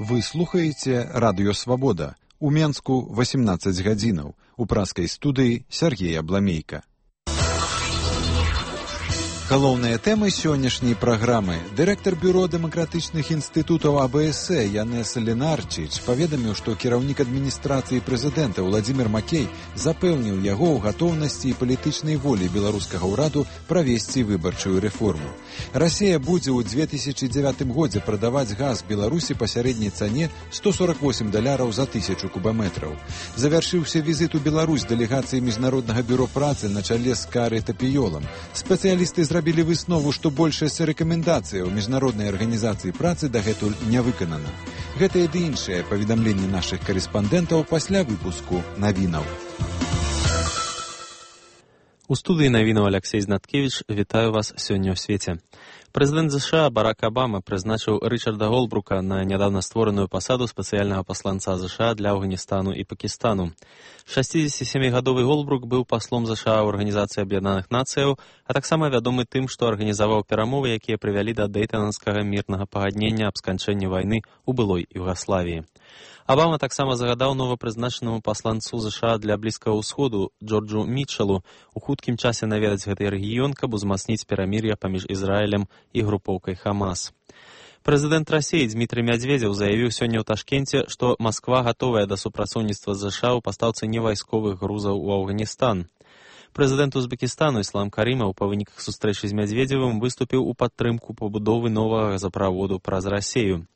Вы слухаеце радыё «Свабода». У Менску 18 гадзінаў. У праскай студыі Сергей Абламейка. Галоўныя тэмы сённяшняй праграмы. Дырэктар бюро дэмакратычных інстытутаў АБС Янес Ленарчич паведаміў, што кіраўнік адміністрацыі прэзідэнта Владзімір Макей запэўніў яго ў гатоўнасці і палітычнай волі беларускага ўраду правесці выбарчую рэформу. Расія будзе ў 2009 годзе прадаваць газ Беларусі па сярэдняй цане $148 за 1000 кубаметраў. Завяршыўся візіт у Беларусь дэлегацыі Міжнароднага бюро працы на чале з Карай Тапіёлам. Спецыялісты зрабілі выснову, што большасць рэкамендацыяў Міжнароднай арганізацыі працы дагэтуль не выканана. Гэтыя ды іншыя паведамленні нашых карэспандэнтаў пасля выпуску навінаў. У студыі навінаў Алексей Знаткевіч. Вітаю вас сёння ў свеце. Прэзідэнт США Барак Абама прызначыў Рычарда Голбрука на нядаўна створаную пасаду спецыяльнага пасланца США для Афганістану і Пакістану. 67-гадовы Голбрук быў паслом США ў Арганізацыі Аб'яднаных Нацыяў, а таксама вядомы тым, што арганізаваў перамовы, якія прывялі да дэйтанскага мірнага пагаднення аб сканчэнні вайны ў былой Югаславіі. Абама таксама загадаў новапрызначанаму пасланцу США для Блізкага ўсходу Джорджу Мітчелу у хуткім часе наведаць гэты рэгіён, каб узмацніць перамір'е паміж Ізраілем і групоўкай Хамас. Прэзідэнт Расіі Дмітрый Мядзведзеў заявіў сёння ў Ташкенце, што Масква гатовая да супрацоўніцтва з США ў пастаўцы невайсковых грузаў у Афганістан. Прэзідэнт Узбекістану Іслам Карімаў па выніках сустрэчы з Мядзведзевым выступіў у падтрымку пабудовы новага газаправоду праз Расію.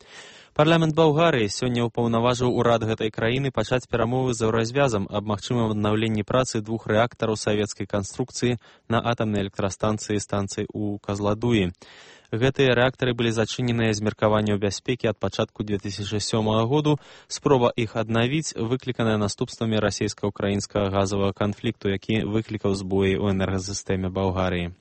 Парламент Балгарыі сёння ўпаўнаважыў урад гэтай краіны пачаць перамовы з Еўразвязам аб магчымым аднаўленні працы 2 рэактараў савецкай канструкцыі на атамнай электрастанцыі станцыі ў Казладуі. Гэтыя рэактары былі зачыненыя з меркаванняў бяспекі ад пачатку 2007 году. Спроба іх аднавіць выкліканая наступствамі расійска-ўкраінскага газавага канфлікту, які выклікаў збоі ў энергасістэме Балгарыі.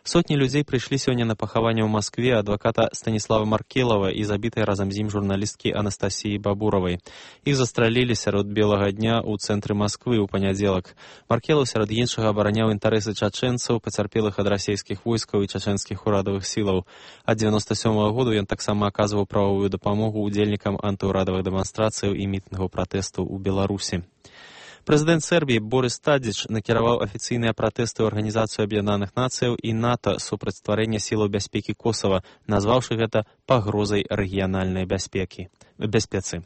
Сотні людзей прыйшлі сёння на пахаванне ў Маскве адваката Станіслава Маркелава і забітай разам з ім журналісткі Анастасіі Бабуравай. Іх застралілі сярод белага дня ў цэнтры Масквы ў панядзелак. Маркелаў сярод іншага абараняў інтарэсы чачэнцаў, пацярпелых ад расійскіх войскаў і чачэнскіх урадавых сілаў. Ад 97 году ён таксама аказваў прававую дапамогу ўдзельнікам антыўрадавых дэманстрацыяў і мітынгаў пратэсту ў Беларусі. Прэзідэнт Сербіі Борис Тадзіч накіраваў афіцыйныя пратэсты ў Арганізацыю Аб'яднаных Нацыяў і НАТО супраць стварэння сілаў бяспекі Косава, назваўшы гэта пагрозай рэгіянальнай бяспецы.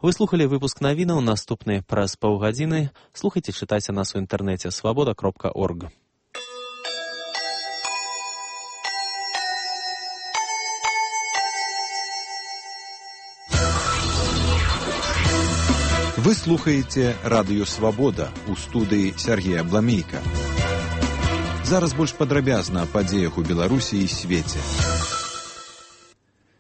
Вы слухалі выпуск навінаў, наступны праз паўгадзіны. Слухайце, чытайце нас у інтэрнэце свабода.орг. Вы слухаеце радыё «Свабода» у студыі Сергея Абламейка. Зараз больш падрабязна аб падзеях у Беларусі і свеце.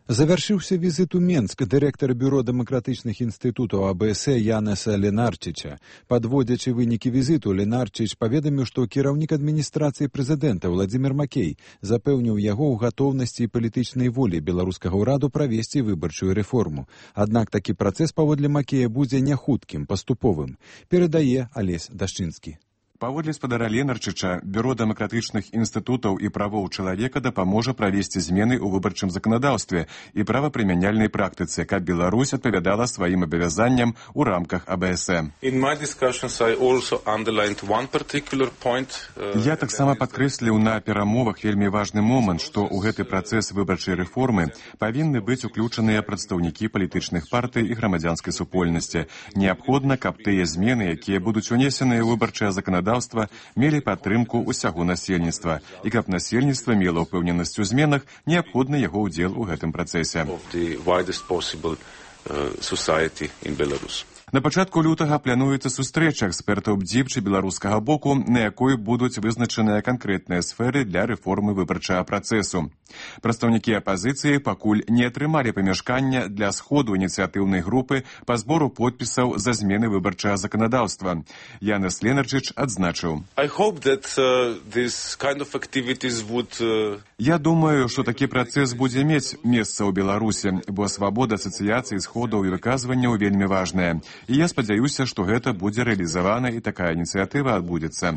Завяршыўся візіт у Менск дырэктара бюро дэмакратычных інстытутаў АБС Янеса Ленарчича. Падводзячы вынікі візіту, Ленарчич паведаміў, што кіраўнік адміністрацыі прэзідэнта Владзімір Макей запэўніў яго ў гатоўнасці і палітычнай волі беларускага ўраду правесці выбарчую рэформу. Аднак такі працэс паводле Макея будзе няхуткім, паступовым, перадае Алесь Дашчынскі. Паводле спадара Ленарчыча, бюро дэмакратычных інстытутаў і правоў чалавека дапаможа правесці змены ў выбарчым заканадаўстве і правапрымяняльнай практыцы, каб Беларусь адпавядала сваім абавязанням у рамках АБС. Я таксама падкрэсліў на перамовах вельмі важны момант, што ў гэты працэс выбарчай рэформы павінны быць уключаныя прадстаўнікі палітычных партый і грамадзянскай супольнасці. Неабходна, каб тыя змены, якія будуць унесеныя ў выбарчае заканадаўства, мелі падтрымку ўсяго насельніцтва, і каб насельніцтва мела ўпэўненасць у зменах, неабходны яго ўдзел у гэтым працэсе. На пачатку лютага плануецца сустрэча экспертаў БДЗІП беларускага боку, на якой будуць вызначаныя канкрэтныя сферы для рэформы выбарчага працэсу. Прадстаўнікі апазіцыі пакуль не атрымалі памяшкання для сходу ініцыятыўнай групы па збору подпісаў за змены выбарчага заканадаўства. Янес Ленарчич адзначыў: Я думаю, што такі працэс будзе мець месца ў Беларусі, бо свабода асацыяцыі сходаў і выказванняў вельмі важная. І я спадзяюся, што гэта будзе рэалізавана і такая ініцыятыва адбудзецца.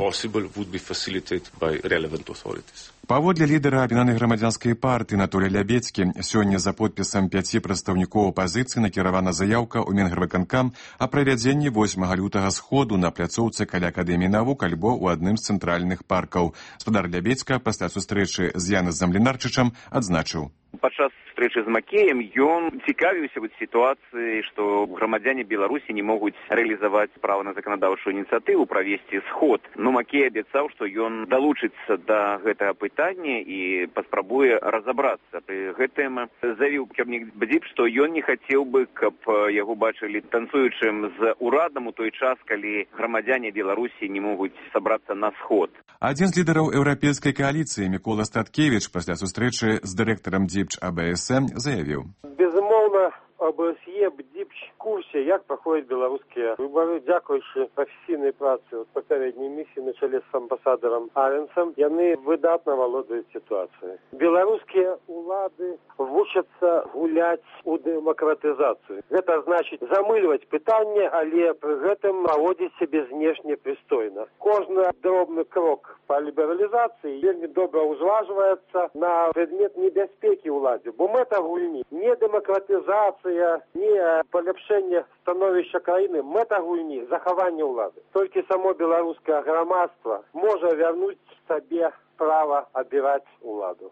Паводле лідара аб'яднанай грамадзянскай партыі Анатолія Лябедзькі, сёння за подпісам 5 прадстаўнікоў апазіцыі накіравана заяўка ў Мінгрвыканкам о правядзенні 8 лютага сходу на пляцоўцы каля Акадэміі навук альбо ў адным з цэнтральных паркаў. Спадар Лябедзька пасля сустрэчы з Янесам Ленарчычам адзначыў. Падчас сустрэчы з Макеем ён цікавіўся сітуацыяй, што грамадзяне Беларусі не могуць рэалізаваць права на заканадаўчую ініцыятыву правесці сход. Но Макей абяцаў, што ён далучыцца да гэтага пытання і паспрабуе разабрацца. Пры гэтым заявіў кіраўнік БДИП, што ён не хацеў бы, каб яго бачылі танцуючым з урадам у той час, калі грамадзяне Беларусі не могуць сабрацца на сход. Адзін з лідараў еўрапейскай кааліцыі Мікола Статкевіч пасля сустрэчы з дырэктарам ДЗІПЧ АБС заявіў. Безумоўна, АБСЕ, БДІПЧ в курсе, як проходят белорусские выборы. Дякуючи професійній праці попередньої місії на чолі з амбасадором Аренсом, вони видатно володують ситуацією. Білоруські влади вчаться гуляти у демократизацію. Це значить замилювати питання, але при цьому поводити себе знешне пристойно. Кожен дробний крок по лібералізації вельми добре узважується на предмет небезпеки владі. Бо мета гульні не демократизація, не поліпшення становища країни, мета гульні – заховання влади. Тільки само білоруське громадство може вернути собі право обирати владу.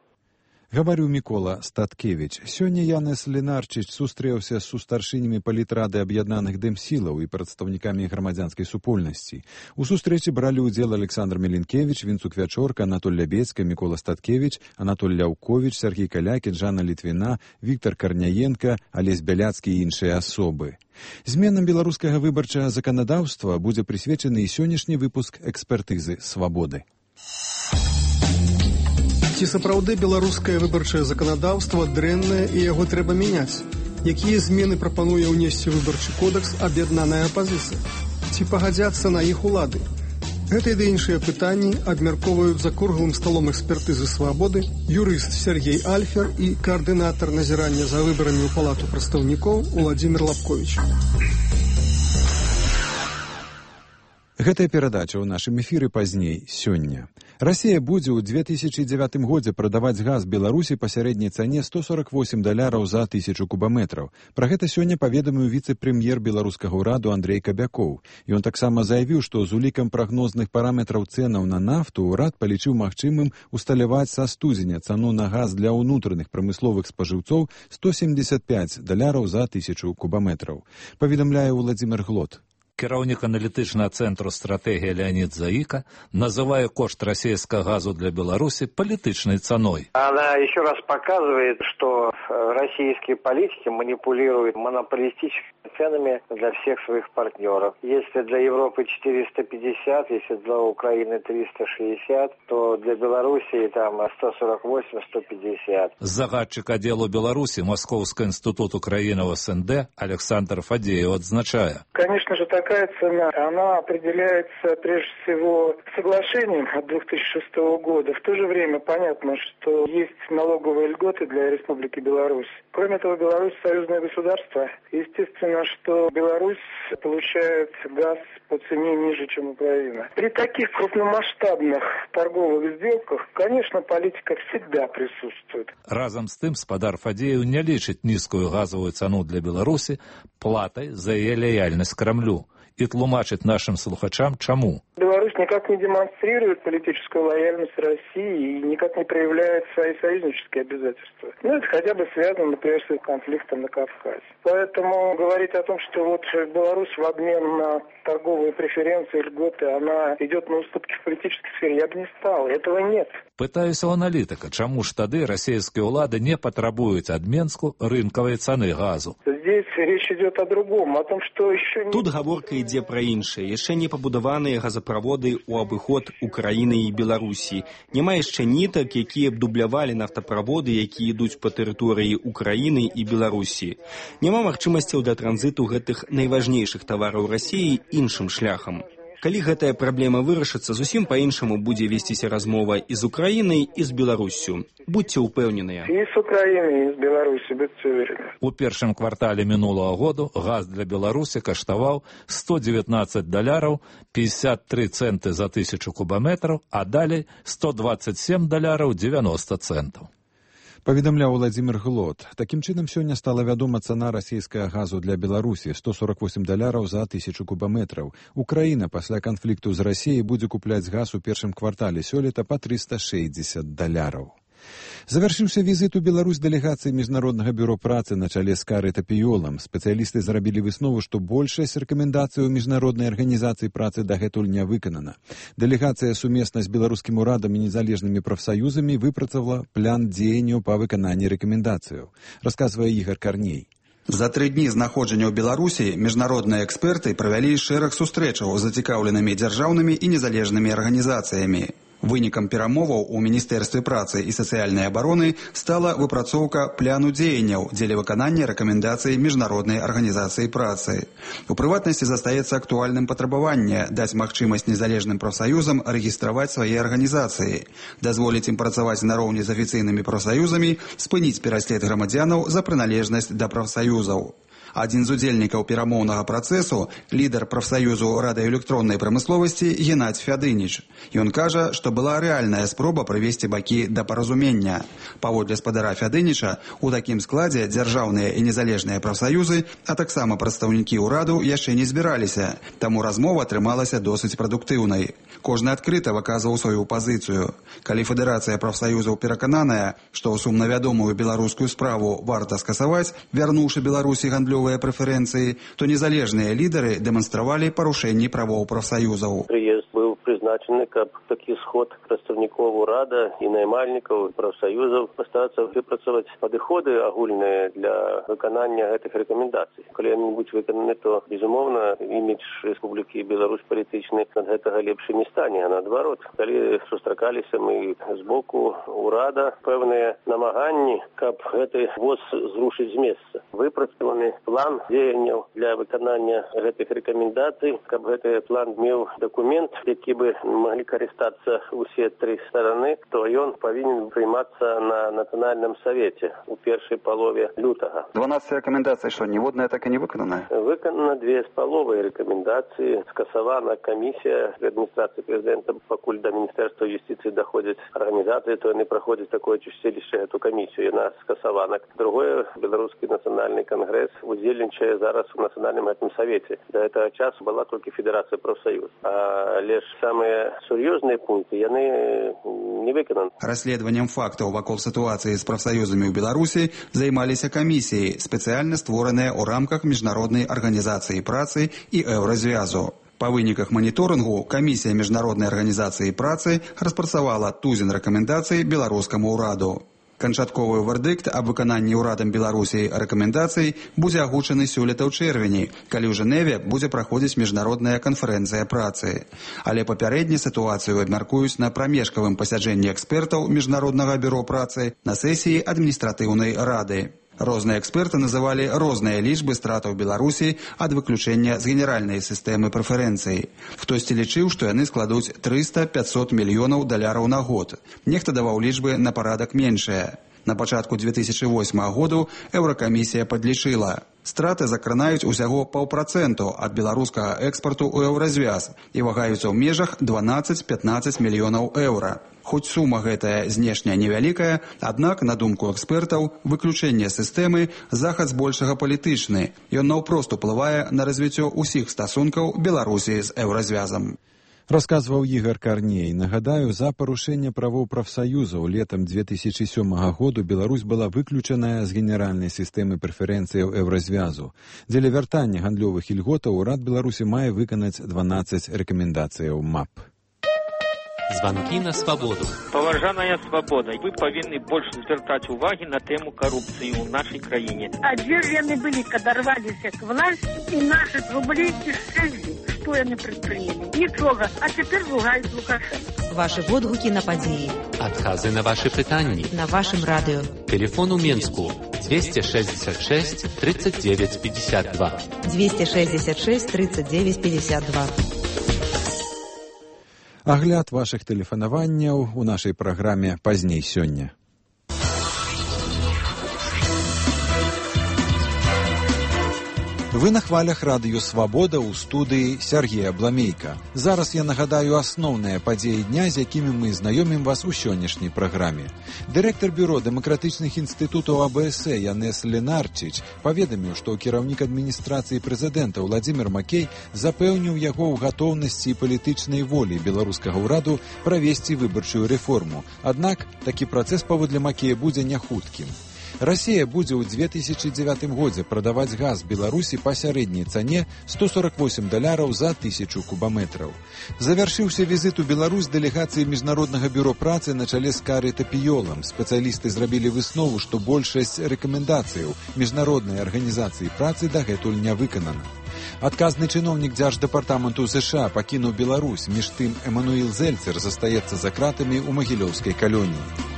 Гаварыў Мікола Статкевіч. Сёння Янес Ленарчыч сустрэўся з сустаршынямі палітрады аб'яднаных дэмсілаў і прадстаўнікамі грамадзянскай супольнасці. У сустрэчы бралі ўдзел Александр Меленкевіч, Вінцук Вячорка, Анатоль Лябедзька, Мікола Статкевіч, Анатоль Ляўковіч, Сергій Калякін, Жанна Літвіна, Віктор Карняенка, Алесь Бяляцкі і іншыя асобы. Зменам беларускага выбарчага заканадаўства будзе прысвечаны і сённяшні выпуск экспертызы «Свабоды». Ці сапраўды беларускае выбарчае заканадаўства дрэннае і яго трэба мяняць? Якія змены прапануе ўнесці выбарчы кодекс аб'яднаная апазіцыя? Ці пагадзяцца на іх улады? Гэтыя ды іншыя пытанні абмяркоўваюць за круглым сталом экспертызы «Свабоды» юрыст Сергей Альфер і каардынатар назірання за выбарамі ў палату прадстаўнікоў Уладзімір Лапковіч. Гэтая перадача ў нашым эфіры пазней сёння. Расія будзе ў 2009 годзе прадаваць газ Беларусі па сярэдняй цане $148 за 1000 кубаметраў. Пра гэта сёння паведаміў віцэ-прэм'ер беларускага ўраду Андрэй Кабякоў. Ён таксама заявіў, што з улікам прагнозных параметраў цэнаў на нафту ўрад палічыў магчымым усталяваць са студзеня цану на газ для ўнутраных прамысловых спажыўцоў $175 за 1000 кубаметраў. Паведамляе Владзімір Глот. Кіраўнік аналітычнага цэнтру стратэгія Леонид Заика называе кошт российского газу для Беларуси политичной ценой. Она еще раз показывает, что российские политики манипулируют монополистическими ценами для всех своих партнеров. Если для Европы 450, если для Украины 360, то для Белоруссии там 148-150. Загадчик отделу Беларуси Московский институт Украины в СНД Александр Фадеев отзначая. Конечно же, такая цена, она определяется прежде всего соглашением от 2006 года. В то же время понятно, что есть налоговые льготы для Республики Беларусь. Кроме того, Беларусь союзное государство. Естественно, что Беларусь получает газ по цене ниже, чем Украина. При таких крупномасштабных торговых сделках, конечно, политика всегда присутствует. Разом з тим, спадар Фадеев не лічить низкую газовую цену для Беларуси платой за ее лояльность Кремлю. И тлумачит нашим слухачам, чему. Беларусь никак не демонстрирует политическую лояльность России и никак не проявляет свои союзнические обязательства. Ну, это хотя бы связано, например, с конфликтом на Кавказе. Поэтому говорить о том, что вот Беларусь в обмен на торговые преференции, льготы, она идет на уступки в политической сфере, я бы не стал. Этого нет. Пытаюсь у аналитика, чему ж тады российские улады не потребуют от Минску рынковой цены газу. Здесь речь идет о другом, о том, что еще не... Тут гаворка ідзе пра іншае. Яшчэ не пабудаваныя газаправоды ў абыход Украіны і Беларусі. Няма яшчэ нітак, якія б дублявалі нафтаправоды, якія ідуць па тэрыторыі Украіны і Беларусі. Няма магчымасцяў для транзіту гэтых найважнейшых тавараў Расіі іншым шляхам. Калі гэтая праблема вырашыцца, зусім па-іншаму будзе весціся размова і з Украінай, і з Беларуссю. Будьце ўпэўненыя. И с Украиной, и с Беларусью, будьте уверены. У першым квартале мінулого году газ для Беларусі каштаваў $119, 53 центы за 1000 кубометраў, а далей $127, 90 центаў. Паведамляў Владзімір Глот. Такім чынам, сёння стала вядома цана расійскага газу для Беларусі – $148 за 1000 кубометраў. Украіна пасля канфлікту з Расіяй будзе купляць газ у першым квартале сёлета па $360. Завяршыўся візіт у Беларусь дэлегацыі Міжнароднага бюро працы на чале з Карай Тапіёлам. Спецыялісты зрабілі выснову, што большасць рэкамендацый у міжнароднай арганізацыі працы дагэтуль не выканана. Дэлегацыя сумесна з беларускім урадам і незалежнымі прафсаюзамі выпрацавала план дзеянняў па выкананні рэкамендацыяў. Расказвае Ігар Карней. За 3 дні знаходжання ў Беларусі міжнародныя эксперты правялі шэраг сустрэчаў з зацікаўленымі дзяржаўнымі і незалежнымі арганізацыямі. Вынікам перамоваў у Міністэрстве працы і сацыяльнай абароны стала выпрацоўка пляну дзеянняў дзеля выканання рэкамендацый Міжнароднай арганізацыі працы. У прыватнасці застаецца актуальным патрабаванне даць магчымасць незалежным прафсаюзам рэгістраваць свае арганізацыі, дазволіць ім працаваць нароўні з афіцыйнымі прафсаюзамі, спыніць пераслед грамадзянаў за прыналежнасць да прафсаюзаў. Адзін з удзельнікаў перамоўнага працэсу, лідар прафсаюзу радыёэлектроннай прамысловасці Геннадзь Фядыніч. Ён кажа, што была рэальная спроба прывесці бакі да паразумення. Паводле спадара Фядыніча, у такім складзе дзяржаўныя і незалежныя прафсаюзы, а таксама прадстаўнікі ўраду яшчэ не збіраліся, таму размова атрымалася досыць прадуктыўнай. Кожны адкрыта выказваў сваю пазіцыю. Калі Федэрацыя прафсаюзаў перакананая, што сумнавядомую беларускую справу варта скасаваць, вярнуўшы Беларусі гандлёвыя прэферэнцыі, то незалежныя лідары дэманстравалі парушэнні правоў прафсаюзаў. Прыезд быў прызначаны, каб такі сход прадстаўнікоў урада і наймальнікаў прафсаюзаў пастарацца выпрацаваць падыходы агульныя для выканання гэтых рэкамендацый. Калі яны будуць выкананы, то, безумоўна, імідж Рэспублікі Беларусь палітычны ад гэтага лепшы не стане, а наадварот. Калі сустракаліся мы з боку урада пэўныя намаганні, каб гэты воз зрушыць з месца. Выпрацаваны план дзеянняў для выканання гэтых рэкамендацый, каб гэты план меў дакумент, які бы маглі карыстацца усе 3 стараны, то ён павінен прыймацца на Нацыянальным савеце у першай палове лютага. 12 рэкамендацый, што ніводная так і не выканана? Выканана 2,5 рэкамендацыі. Скасавана камісія адміністрацыі прэзідэнта, пакуль да Міністэрства юстыцыі даходзяць арганізацыі, то яны праходзяць такое чысцілішча эту камісію, яна скасавана. Другое, Беларускі нацыянальны кангрэс удзельнічае зараз у Нацыянальным гэтым савеце. Да гэтага часу была толькі Федэрацыя прафсаюз. Але ж самыя сур'ёзныя пункты яны не выкананы. Расследаваннем фактаў вакол сітуацыі з прафсаюзамі ў Беларусі займаліся камісіі, спецыяльна створаныя ў рамках Міжнароднай арганізацыі працы і Еўразвязу. Па выніках маніторынгу камісія Міжнароднай арганізацыі працы распрацавала тузін рэкамендацый беларускаму ўраду. Канчатковы вердыкт аб выкананні ўрадам Беларусі рэкамендацый будзе агучаны сёлета ў чэрвені, калі ў Жэневе будзе праходзіць міжнародная канферэнцыя працы. Але папярэдне сітуацыю абмяркуюць на прамежкавым пасяджэнні экспертаў Міжнароднага бюро працы на сесіі адміністратыўнай рады. Розныя эксперты называлі розныя лічбы стратаў Беларусі ад выключэння з генеральнай сістэмы прэферэнцый. Хтосьці лічыў, што яны складуць 300-500 мільёнаў даляраў на год. Нехта даваў лічбы на парадак меншыя. На пачатку 2008 году Еўракамісія падлічыла. Страты закранаюць усяго 0,5% ад беларускага экспарту ў Еўразвяз і вагаюцца ў межах 12-15 мільёнаў еўра. Хоць сума гэтая знешня невялікая, аднак, на думку экспертаў, выключэнне сістэмы захад збольшага палітычны. Ён наўпрост уплывае на развіццё ўсіх стасункаў Беларусі з Еўразвязам. Расказваў Ігар Карней. Нагадаю, за парушэнне правоў прафсаюзаў летам 2007 году Беларусь была выключаная з генеральнай сістэмы прэферэнцыяў Еўразвязу. Дзеля вяртання гандлёвых ільготаў урад Беларусі мае выканаць 12 рэкамендацыяў МАП. Званкі на свабоду. Паважаная свабода, вы павінны больш звяртаць увагі на тэму карупцыі ў нашай краіне. А дзе ж яны былі, калі рваліся к власці і нашы рублі ісчезлі? Што яны прадпрынялі? Нічога, а цяпер ругаюць Лукашенка. Вашы водгукі на падзеі. Адказы на вашы пытанні. На вашым радыё. Телефон у Менску 266 39 52. 266 39 52. Агляд вашых тэлефанаванняў у нашай праграме пазней сёння. Вы на хвалях радыё «Свабода» ў студыі Сергея Бламейка. Зараз я нагадаю асноўныя падзеі дня, з якімі мы знаёмім вас у сённяшняй праграме. Дырэктар бюро дэмакратычных інстытутаў АБС Янес Ленарчич паведаміў, што кіраўнік адміністрацыі прэзідэнта Уладзімір Макей запэўніў яго ў гатоўнасці і палітычнай волі беларускага ўраду правесці выбарчую рэформу. Аднак такі працэс паводле Макея будзе няхуткім. Расія будзе ў 2009 годзе прадаваць газ Беларусі па сярэдняй цане $148 за 1000 кубаметраў. Завяршыўся візіт у Беларусь дэлегацыі Міжнароднага бюро працы на чале з Карай Тапіёлам. Спецыялісты зрабілі выснову, што большасць рэкамендацыяў Міжнароднай арганізацыі працы дагэтуль не выканана. Адказны чыноўнік Дзярждэпартаменту США пакінуў Беларусь, між тым Эмануэл Зельцер застаецца за кратамі ў магілёўскай калоніі.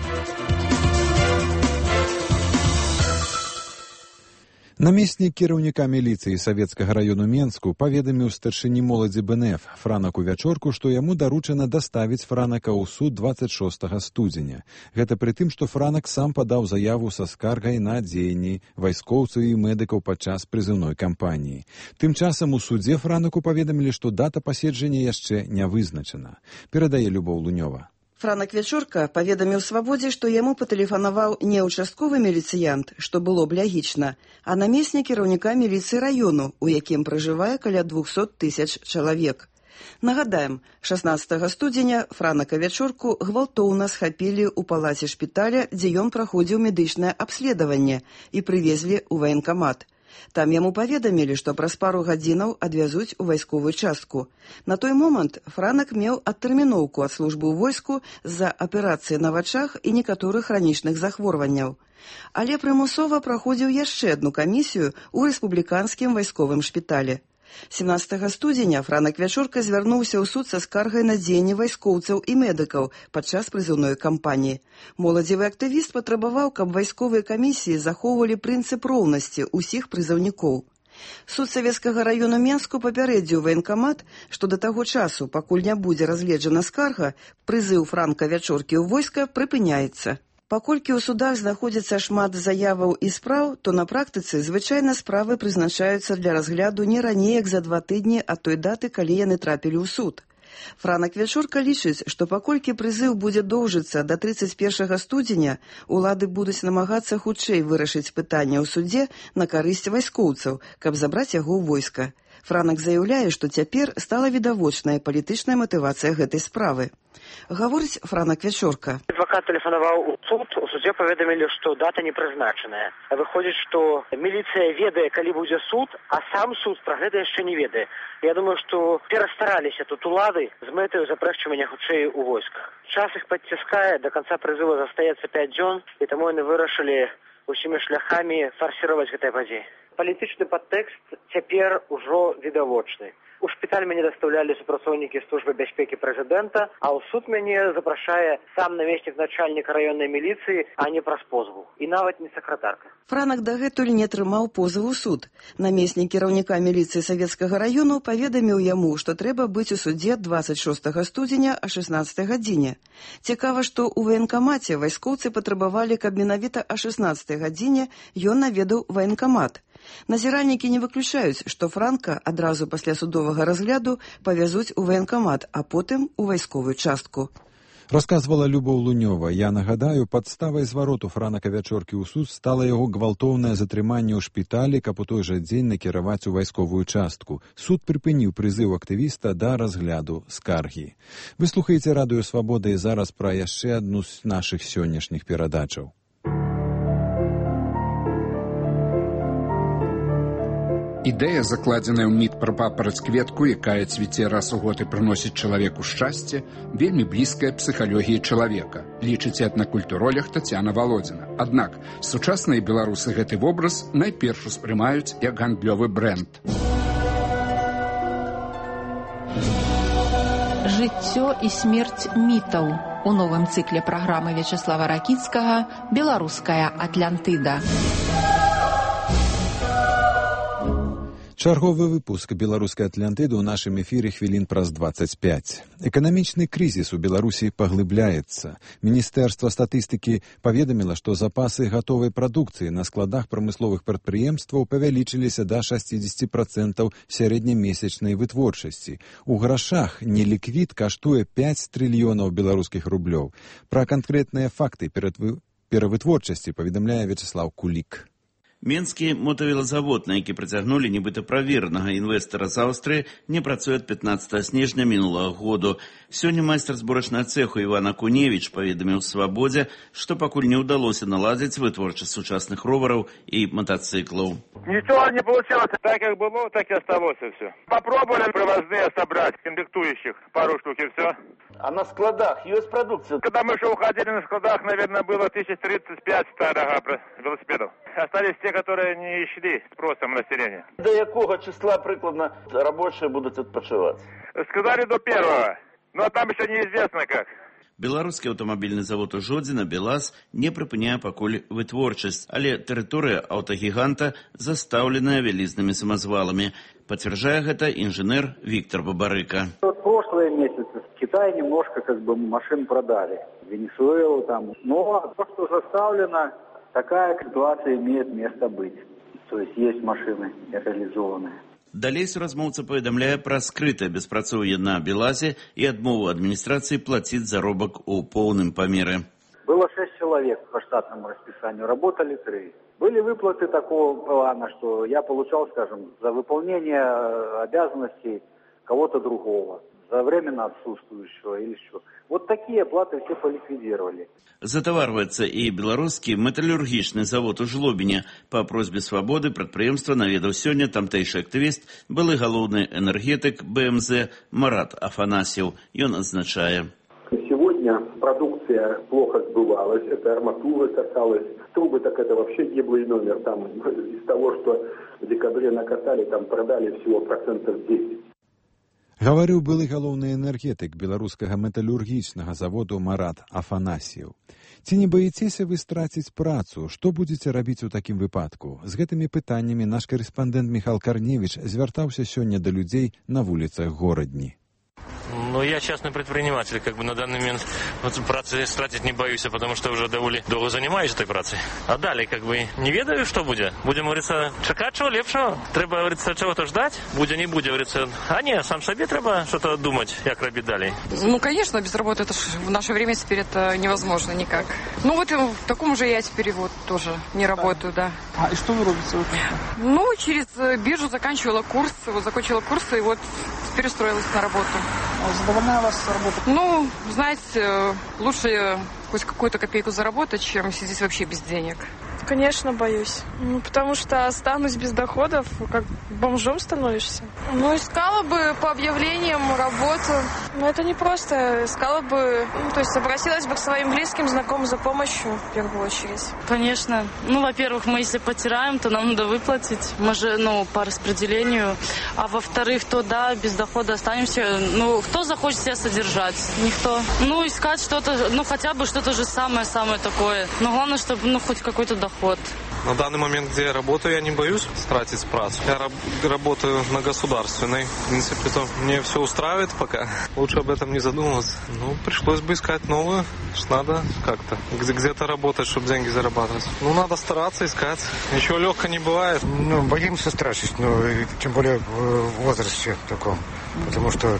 Намеснік кіраўніка міліцыі Савецкага раёну Менску паведаміў старшыні моладзі БНФ Франаку Вячорку, што яму даручана даставіць Франака ў суд 26 студзеня. Гэта пры тым, што Франак сам падаў заяву са скаргай на дзеянні вайскоўцаў і медыкаў падчас прызыўной кампаніі. Тым часам у судзе Франаку паведамілі, што дата паседжання яшчэ не вызначана. Перадае Любоў Лунёва. Франак Вячорка паведаміў «Свабодзе», што яму патэлефанаваў не ўчастковы міліцыянт, што было б лягічна, а намеснік кіраўніка міліцыі раёну, у якім пражывае каля 200 000 чалавек. Нагадаем, 16 студзеня Франака Вячорку гвалтоўна схапілі ў палаце шпіталя, дзе ён праходзіў медычнае абследаванне, і прывезлі ў ваенкамат. Там яму паведамілі, што праз пару гадзінаў адвязуць у вайсковую частку. На той момант Франак меў адтэрміноўку ад службы ў войску з-за аперацыі на вачах і некаторых хранічных захворванняў. Але прымусова праходзіў яшчэ адну камісію ў рэспубліканскім вайсковым шпіталі. 17 студзеня Франак Вячорка звярнуўся ў суд са скаргай на дзеянні вайскоўцаў і медыкаў падчас прызыўной кампаніі. Моладзевы актывіст патрабаваў, каб вайсковыя камісіі захоўвалі прынцып роўнасці ўсіх прызыўнікоў. Суд Савецкага раёну Менску папярэдзіў ваенкамат, што да таго часу, пакуль не будзе разгледжана скарга, прызыў Франка Вячоркі ў войска прыпыняецца. Паколькі ў судах знаходзіцца шмат заяваў і спраў, то на практыцы звычайна справы прызначаюцца для разгляду не раней, як за 2 тыдні ад той даты, калі яны трапілі ў суд. Франак Вячорка лічыць, што паколькі прызыў будзе доўжыцца да 31 студзеня, улады будуць намагацца хутчэй вырашыць пытанне ў судзе на карысць вайскоўцаў, каб забраць яго ў войска. Франак заяўляе, што цяпер стала відавочная палітычная матывацыя гэтай справы. Гаворыць Франак Вячорка. Адвакат тэлефанаваў у суд, у судзе паведамілі, што дата не прызначаная. Выходзіць, што міліцыя ведае, калі будзе суд, а сам суд пра гэта яшчэ не ведае. Я думаю, што перастараліся тут улады з мэтаю запрэшчвання хутчэй у войсках. Час іх падціскае, да канца прызыву застаецца 5 дзён, і таму яны вырашылі усімі шляхамі фарсіраваць гэтыя падзеі. Палітычны падтэкст цяпер ужо відавочны. У шпіталь мяне дастаўлялі супрацоўнікі службы бяспекі прэзідэнта, а ў суд мяне запрашае сам намеснік начальніка раённай міліцыі, а не праз позву. І нават не сакратарка. Франак дагэтуль не атрымаў позыву ў суд. Намеснік кіраўніка міліцыі Савецкага раёну паведаміў яму, што трэба быць у судзе 26 студзеня о 16 гадзіне. Цікава, што ў ваенкамаце вайскоўцы патрабавалі, каб менавіта о 16 гадзіне ён наведаў ваенкамат. Назіральнікі не выключаюць, што Франка адразу пасля судовага разгляду павязуць у ваенкамат, а потым у вайсковую частку. Расказвала Любоў Лунёва. Я нагадаю, падставай звароту Франака Вячоркі ў суд стала яго гвалтоўнае затрыманне ў шпіталі, каб у той жа дзень накіраваць у вайсковую частку. Суд прыпыніў прызыў актывіста да разгляду скаргі. Вы слухаеце радыё «Свабода» і зараз пра яшчэ адну з нашых сённяшніх перадачаў. Ідэя, закладзеная ў міт пра папараць-кветку, якая цвіце раз у год і прыносіць чалавеку шчасце, вельмі блізкая псіхалогіі чалавека, лічыць этнакультуролог Тацяна Валодзіна. Аднак сучасныя беларусы гэты вобраз найперш успрымаюць як гандлёвы брэнд. Жыццё і смерць мітаў у новым цыкле праграмы Вячаслава Ракіцкага «Беларуская Атлантыда». Чарговы выпуск беларускай Атлантыды ў нашым эфіры хвілін праз 25. Эканамічны крызіс у Беларусі паглыбляецца. Міністэрства статыстыкі паведаміла, што запасы гатовай прадукцыі на складах прамысловых прадпрыемстваў павялічыліся да 60% сярэднямесячнай вытворчасці. У грашах неліквід каштуе 5 трыльёнаў беларускіх рублёў. Пра канкрэтныя факты перавытворчасці паведамляе Вячеслав Кулік. Менскі мотавелазавод, на які прыцягнулі нібыта праверанага інвестара з Аўстрыі, не працуе ад 15 снежня мінулага году. Сёння майстар зборачнага цэху Іван Акуневіч паведаміў «Свабодзе», што пакуль не ўдалося наладзіць вытворчасць сучасных ровараў і мотоциклаў. Ничего не получилось. Так как было, так и осталось все. Попробовали привозные собрать, комплектующих, пару штук и все. А на складах есть продукция? Когда мы еще уходили на складах, наверное, было 1035 старых велосипедов. Остались те, которые не шли спросом населения. До якого числа прикладно рабочие будут отпочивать? Сказали до 1-го, но там еще неизвестно как. Беларускі аўтамабільны завод у Жодзіна «Белаз» не прыпыняе пакуль вытворчасць, але тэрыторыя аўтагіганта застаўленая вялізнымі самазваламі. Пацвярджае гэта інжынер Виктор Бабарыка. Прошлые месяцы в Китае немножко машин продали. Венесуэлу там. Но то, что заставлено, такая ситуация имеет место быть. То есть машины реализованные. Далей суразмоўца паведамляе пра скрытае беспрацоўе на «Белазе» і адмову адміністрацыі плаціць заробак у поўным памеры. Было 6 человек по штатному расписанию, работали 3. Были выплаты такого плана, что я получал, скажем, за выполнение обязанностей кого-то другого, за временно отсутствующего или что. Вот такие оплаты все поликвидировали. Затаварваецца і беларускі металлургічны завод у Жлобіне. Па просьбе «Свабоды» прадпрыемства наведаў сёння тамтэйшы актывіст, былы галоўны энергетык БМЗ Марат Афанасьев. Ён адзначае. Сегодня продукция плохо сбывалась, это арматура касалась, трубы, так это вообще гиблый номер. Там из того, что в декабре накатали, там продали всего 10%. Гаварыў былы галоўны энергетык беларускага металлургічнага заводу Марат Афанасьев. Ці не баіцеся вы страціць працу? Што будзеце рабіць у такім выпадку? З гэтымі пытаннямі наш карэспандэнт Михал Карневіч звяртаўся сёння да людзей на вуліцах горадні. Ну, я частный предприниматель, на данный момент працы стратить не боюсь, потому что уже довольно долго занимаюсь этой працей. А далее, не ведаю, что будет. Будем, говорится, чекать чего лепшего. Треба, говорится, чего-то ждать. Будет, не будет, говорится. А не, сам себе треба что-то думать, как робить далее. Ну, конечно, без работы это в наше время теперь это невозможно никак. Ну, вот в таком же я теперь тоже не работаю, да. А и что вы робите? Ну, через биржу закончила курсы и вот перестроилась на работу. Задовольняет вас работа? Ну, знаете, лучше хоть какую-то копейку заработать, чем сидеть вообще без денег. Конечно, боюсь. Потому что останусь без доходов, как бомжом становишься. Ну, искала бы по объявлениям работу. Но это не просто. Искала бы, то есть обратилась бы к своим близким, знакомым за помощью, в первую очередь. Конечно. Ну, во-первых, мы если потеряем, то нам надо выплатить. Мы же, по распределению. А во-вторых, то да, без дохода останемся. Ну, кто захочет себя содержать? Никто. Ну, искать что-то, хотя бы что-то же самое-самое такое. Но главное, чтобы, хоть какой-то доход. На данный момент, где я работаю, я не боюсь тратить працу. Я работаю на государственной. В принципе, то мне все устраивает пока. Лучше об этом не задумываться. Пришлось бы искать новую. Надо как-то где-то работать, чтобы деньги зарабатывать. Надо стараться искать. Ничего легко не бывает. Боимся страшить, тем более в возрасте таком. Потому что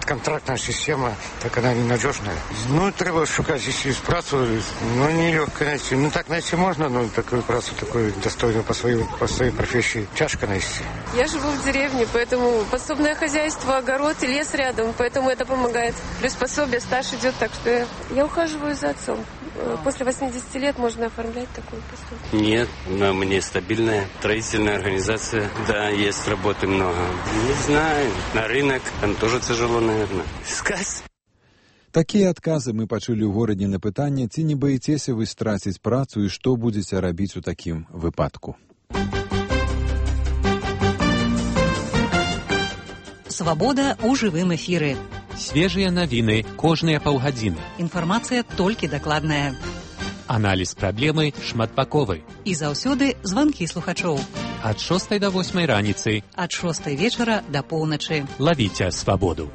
контрактная система, так она ненадежная. Треба шукать здесь працу, нелегко найти. Так найти можно, но такую працу, такую достойную по своей профессии, тяжко найти. Я живу в деревне, поэтому подсобное хозяйство, огород и лес рядом, поэтому это помогает. Плюс пособие, стаж идет, так что я ухаживаю за отцом. После 80 лет можно оформлять такую пособие. Нет, но мне стабильная строительная организация. Да, есть работы много. Не знаю, на рынок там тоже тяжело, наверное, искать. Такія адказы мы пачулі ў горадні на пытанне, ці не баіцеся вы страціць працу і што будзеце рабіць у такім выпадку. Свабода ў жывым эфіры. Свежыя навіны кожныя паўгадзіны. Інфармацыя толькі дакладная. Аналіз праблемы шматбаковы. І заўсёды званкі слухачоў. ад 6 до 8 раніцы, ад 6 вечара да поўначы. Лавіце свабоду.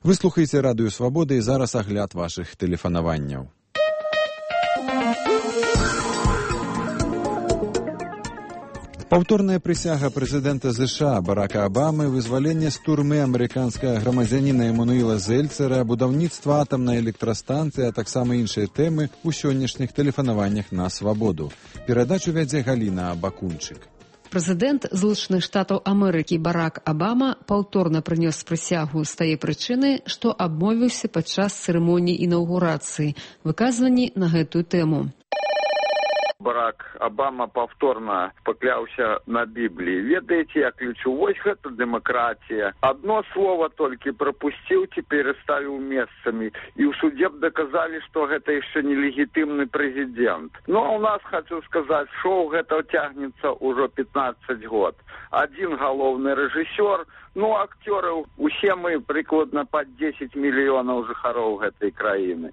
Вы слухаеце радыё Свабода і зараз агляд вашых тэлефанаванняў. Паўторная прысяга прэзідэнта США Барака Абамы, вызваленне з турмы амерыканскага грамадзяніна Эмануіла Зельцера, будаўніцтва атамнай электрастанцыі, а таксама іншыя тэмы ў сённяшніх тэлефанаваннях на Свабоду. Перадачу вядзе Галіна Бакунчык. Прэзідэнт Злучаных Штатаў Амерыкі Барак Абама паўторна прынёс прысягу з тае прычыны, што абмовіўся падчас цырымоніі інаўгурацыі, выказванні на гэтую тэму. Барак Абама повторно пакляўся на Бібліі. Ведаеце, я ключу, вось гэта дэмакратія. Одно слово только пропустил, теперь ставил месцамі. И в суде доказали, что это еще не легитимный президент. Но у нас, хочу сказать, шоу это тягнется уже 15 год. Один головный режиссер, ну, актеры, усе мы прикладно под 10 миллионов жыхароў гэтай краіны.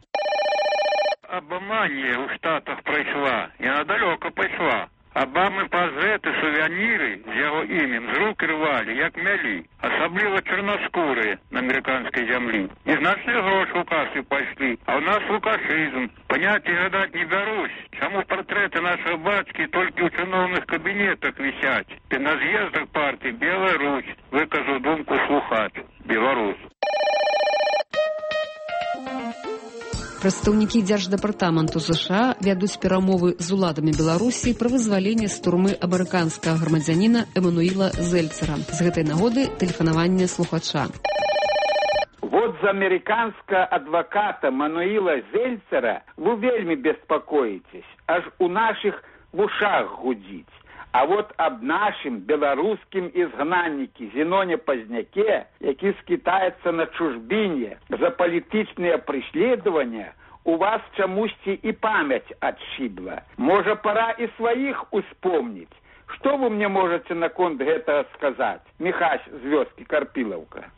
Абаманія ў Штатах прайшла, і она далёка пайшла. Абамы пазеты, сувеніры з яго імем з рук рвалі, як мялі, асабліва чорнаскурыя на амерыканскай зямлі. Незначныя грошы ў касы пайшлі, а ў нас лукашызм. Паняцці гадаць не бярусь, чаму партрэты нашых бацькі толькі ў чыноўных кабінетах вісяць. Ты на з'ездах партыі Беларусь, выказаў думку слухач. Беларусь. Прадстаўнікі Дзярждэпартаменту США вядуць перамовы з уладамі Беларусі пра вызваленне з турмы амерыканскага грамадзяніна Эмануіла Зельцера. З гэтай нагоды тэлефанаванне слухача. Вот за американского адвоката Мануила Зельцера вы вельми беспокоитесь, аж у наших в ушах гудить. А вот об нашим белорусским изгнаннике Зеноне Поздняке, які скитается на чужбине за политичные преследования, у вас чамусьці и память отшибла. Может, пора и своих успомнить. Что вы мне можете наконт гэтага сказать? Михась з вёскі Карпілаўка.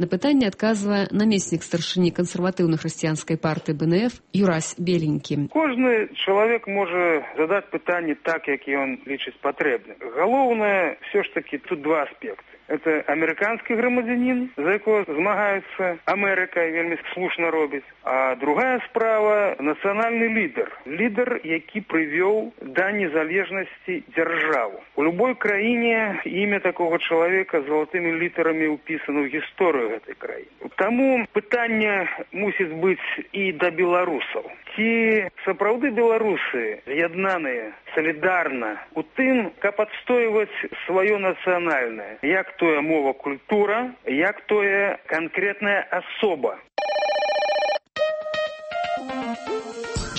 На пытанне адказвае намеснік старшыні кансерватыўна-хрысціянскай партыі БНФ Юрась Беленькі. Кожны чалавек можа задаць пытанне так, як ён лічыць патрэбным. Галоўнае, все ж таки, тут два аспекты. Это американский громадянин, за якого змагается Америка, и вельми слушно робить. А другая справа – национальный лидер. Лидер, які привел до незалежности державу. У любой краине имя такого человека золотыми литерами уписано в историю этой краины. Тому пытание мусит быть и до белорусов. Ці сапраўды беларусы з'яднаныя солідарна у тым, каб адстойваць сваё нацыянальнае, як тое мова, культура, як тое канкрэтная асоба.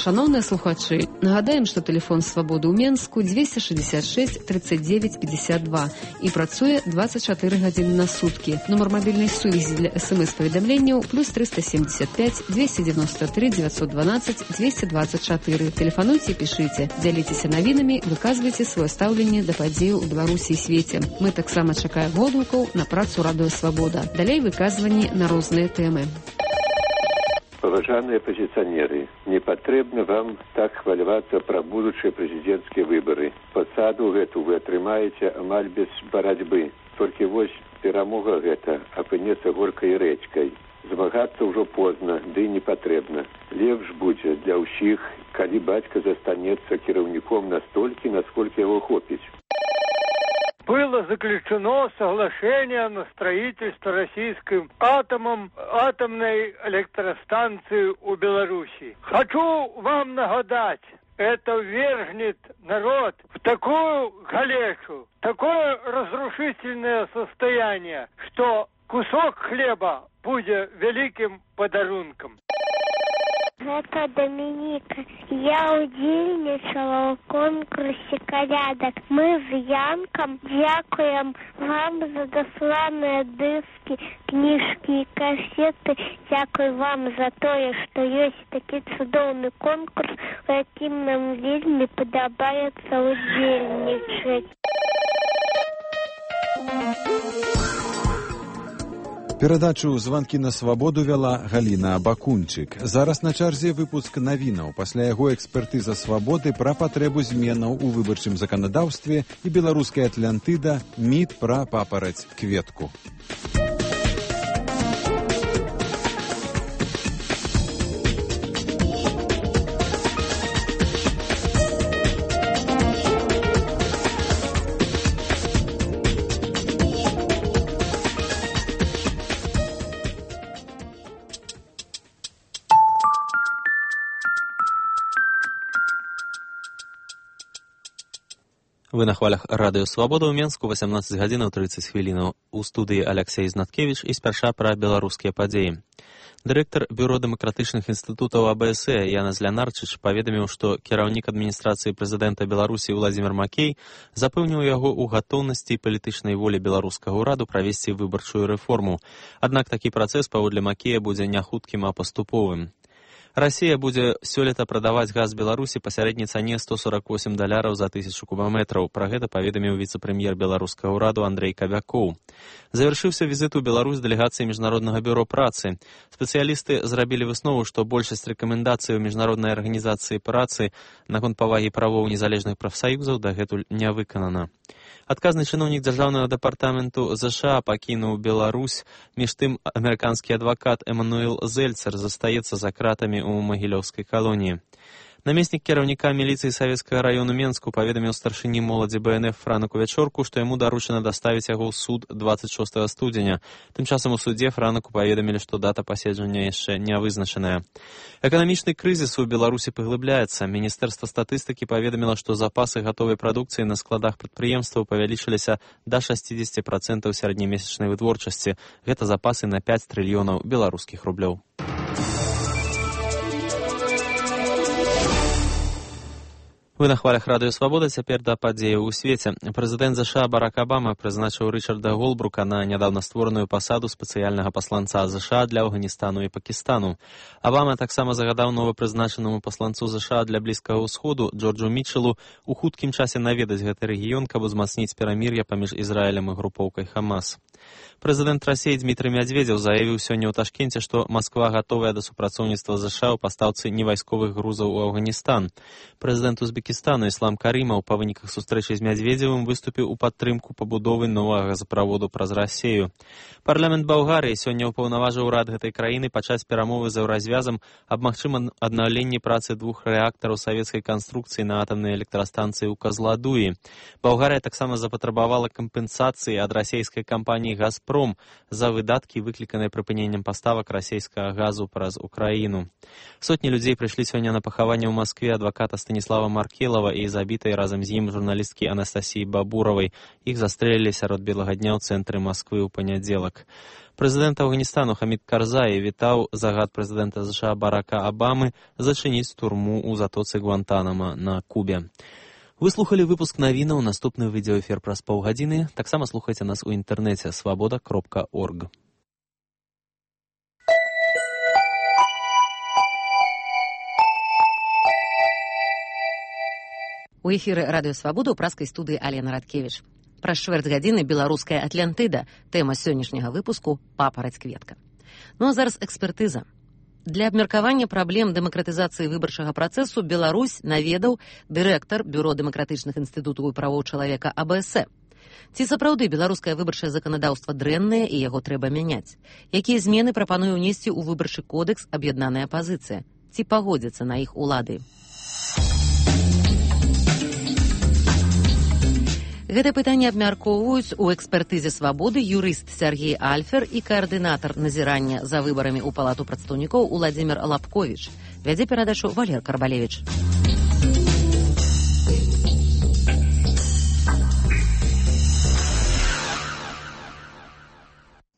Шановныя слухачы, нагадаем, што тэлефон Свабоды ў Менску 266 39 52 і працуе 24 гадзіны на суткі. Нумар мабільнай сувязі для СМС-паведамленняў плюс 375 293 912 224. Тэлефануйце і пішыце, дзяліцеся навінамі, выказвайце сваё стаўленне да падзеяў у Беларусі і свеце. Мы таксама чакаем водгукаў на працу радыё Свабода. Далей выказванні на розныя тэмы. Паважаныя апозіцыянеры, не патрэбна вам так хвалявацца пра будучыя прэзідэнцкія выбары. Пасаду гэту вы атрымаеце амаль без барацьбы. Толькі вось перамога гэта апынецца горкай рэчкай. Змагацца ўжо позна, ды не патрэбна. Лепш будзе для ўсіх, калі бацька застанецца кіраўніком настолькі, насколькі яго хопіць. Было заключено соглашение на строительство российским атомной электростанции у Беларуси. Хочу вам нагадать, это ввергнет народ в такую галешу, такое разрушительное состояние, что кусок хлеба будет великим подарунком. Гэта Дамініка. Я ўдзельнічала ў конкурсе калядак. Мы з Янкам дзякуем вам за дасланыя дыскі, кніжкі і касеты. Дзякуй вам за тое, што ёсць такі цудоўны конкурс, у якім нам вельмі падабаецца ўдзельнічаць. Перадачу «Званкі на свабоду» вяла Галіна Абакунчык. Зараз на чарзе выпуск навінаў. Пасля яго экспертыза свабоды пра патрэбу зменаў у выбарчым заканадаўстве і беларуская Атлантыда міт пра папараць кветку. Вы на хвалях радыё «Свабода» ў Менску, 18 гадзінаў 30 хвілінаў. У студыі Аляксей Знаткевіч і спярша пра беларускія падзеі. Дырэктар Бюро дэмакратычных інстытутаў АБС Янес Лінарчыч паведаміў, што кіраўнік адміністрацыі прэзідэнта Беларусі Уладзімір Макей запэўніў яго ў гатоўнасці і палітычнай волі беларускага ўраду правесці выбарчую рэформу. Аднак такі працэс, паводле Макея, будзе не хуткім, а паступовым. Расія будзе сёлета прадаваць газ Беларусі па сярэдняй цане $148 за 1000 кубаметраў. Пра гэта паведаміў віцэ-прэм'ер беларускага ўраду Андрэй Кабякоў. Завяршыўся візіт у Беларусь дэлегацыі Міжнароднага бюро працы. Спецыялісты зрабілі выснову, што большасць рэкамендацый Міжнароднай арганізацыі працы наконт павагі правоў незалежных прафсаюзаў дагэтуль не выканана. Адказны чыноўнік дзяржаўнага дэпартаменту ЗША пакінуў Беларусь, між тым амерыканскі адвакат Эмануэл Зельцер застаецца за кратамі ў магілёўскай калоніі. Намеснік кіраўніка міліцыі Савецкага раёну Менску паведаміў старшыні моладзі БНФ Франаку Вячорку, што яму даручана даставіць яго ў суд 26 студзеня. Тым часам у судзе Франаку паведамілі, што дата паседжання яшчэ не вызначаная. Эканамічны крызіс у Беларусі паглыбляецца. Міністэрства статыстыкі паведаміла, што запасы гатовай прадукцыі на складах прадпрыемстваў павялічыліся да 60% сярэднемесячнай вытворчасці. Гэта запасы на 5 трыльёнаў беларускіх рублёў. Вы на хвалях радыё «Свабода», цяпер да падзеяў у свеце. Прэзідэнт ЗША Барак Абама прызначыў Рычарда Голбрука на нядаўна створаную пасаду спецыяльнага пасланца ЗША для Афганістану і Пакістану. Абама таксама загадаў новапрызначанаму пасланцу ЗША для Блізкага ўсходу Джорджу Мітчелу у хуткім часе наведаць гэты рэгіён, каб узмацніць перамір'е паміж Ізраілем і групоўкай Хамас. Прэзідэнт Расіі Дмітрый Мядзведзеў заявіў сёння ў Ташкенце, што Масква гатовая да супрацоўніцтва ЗША ў пастаўцы невайсковых грузаў у Афганістан. Прэзідэнт Узбекістану Іслам Карімаў па выніках сустрэчы з Мядзведзевым выступіў у падтрымку пабудовы новага газаправоду праз Расею. Парламент Балгарыі сёння ўпаўнаважыў урад гэтай краіны пачаць перамовы з Еўразвязам аб магчымым аднаўленні працы 2 рэактараў савецкай канструкцыі на атамнай электрастанцыі ў Казладуі. Балгарыя таксама запатрабавала кампенсацыі ад расейскай кампаніі «Газпром» за выдаткі, выкліканыя прыпыненнем паставак расейскага газу праз Украіну. Сотні людзей прыйшлі сёння на пахаванне ў Маскве адваката Станіслава Маркелава і забітай разам з ім журналісткі Анастасіі Бабуравай. Іх застрэлілі сярод белага дня ў цэнтры Масквы ў панядзелак. Прэзідэнт Афганістану Хамід Карзаі вітаў загад прэзідэнта ЗША Барака Абамы зачыніць турму ў затоцы Гуантанама на Кубе. Вы слухали выпуск навінаў, наступны відеоэфір праз паўгадзіны. Таксама слухайце нас у інтэрнэце свабода.орг. У эфіры радыё «Свабода» ў праскай студыі Алена Радкевіч. Праз чвэрць гадзіны беларуская Атлантыда. Тэма сённяшняга выпуску «Папараць кветка». Ну а зараз экспертыза. Для абмеркавання праблем дэмакратызацыі выбарчага працэсу Беларусь наведаў дырэктар Бюро дэмакратычных інстытутаў і правоў чалавека АБС. Ці сапраўды беларускае выбарчае заканадаўства дрэннае і яго трэба мяняць? Якія змены прапануе ўнесці ў выбарчы кодэкс аб'яднаная апазіцыя? Ці пагодзяцца на іх улады? Гэта пытанне абмяркоўваюць у экспертызе «Свабоды» юрыст Сергей Альфер і каардынатар назірання за выбарамі ў Палату прадстаўнікоў Уладзімір Лапковіч. Вядзе перадачу Валер Карбалевіч.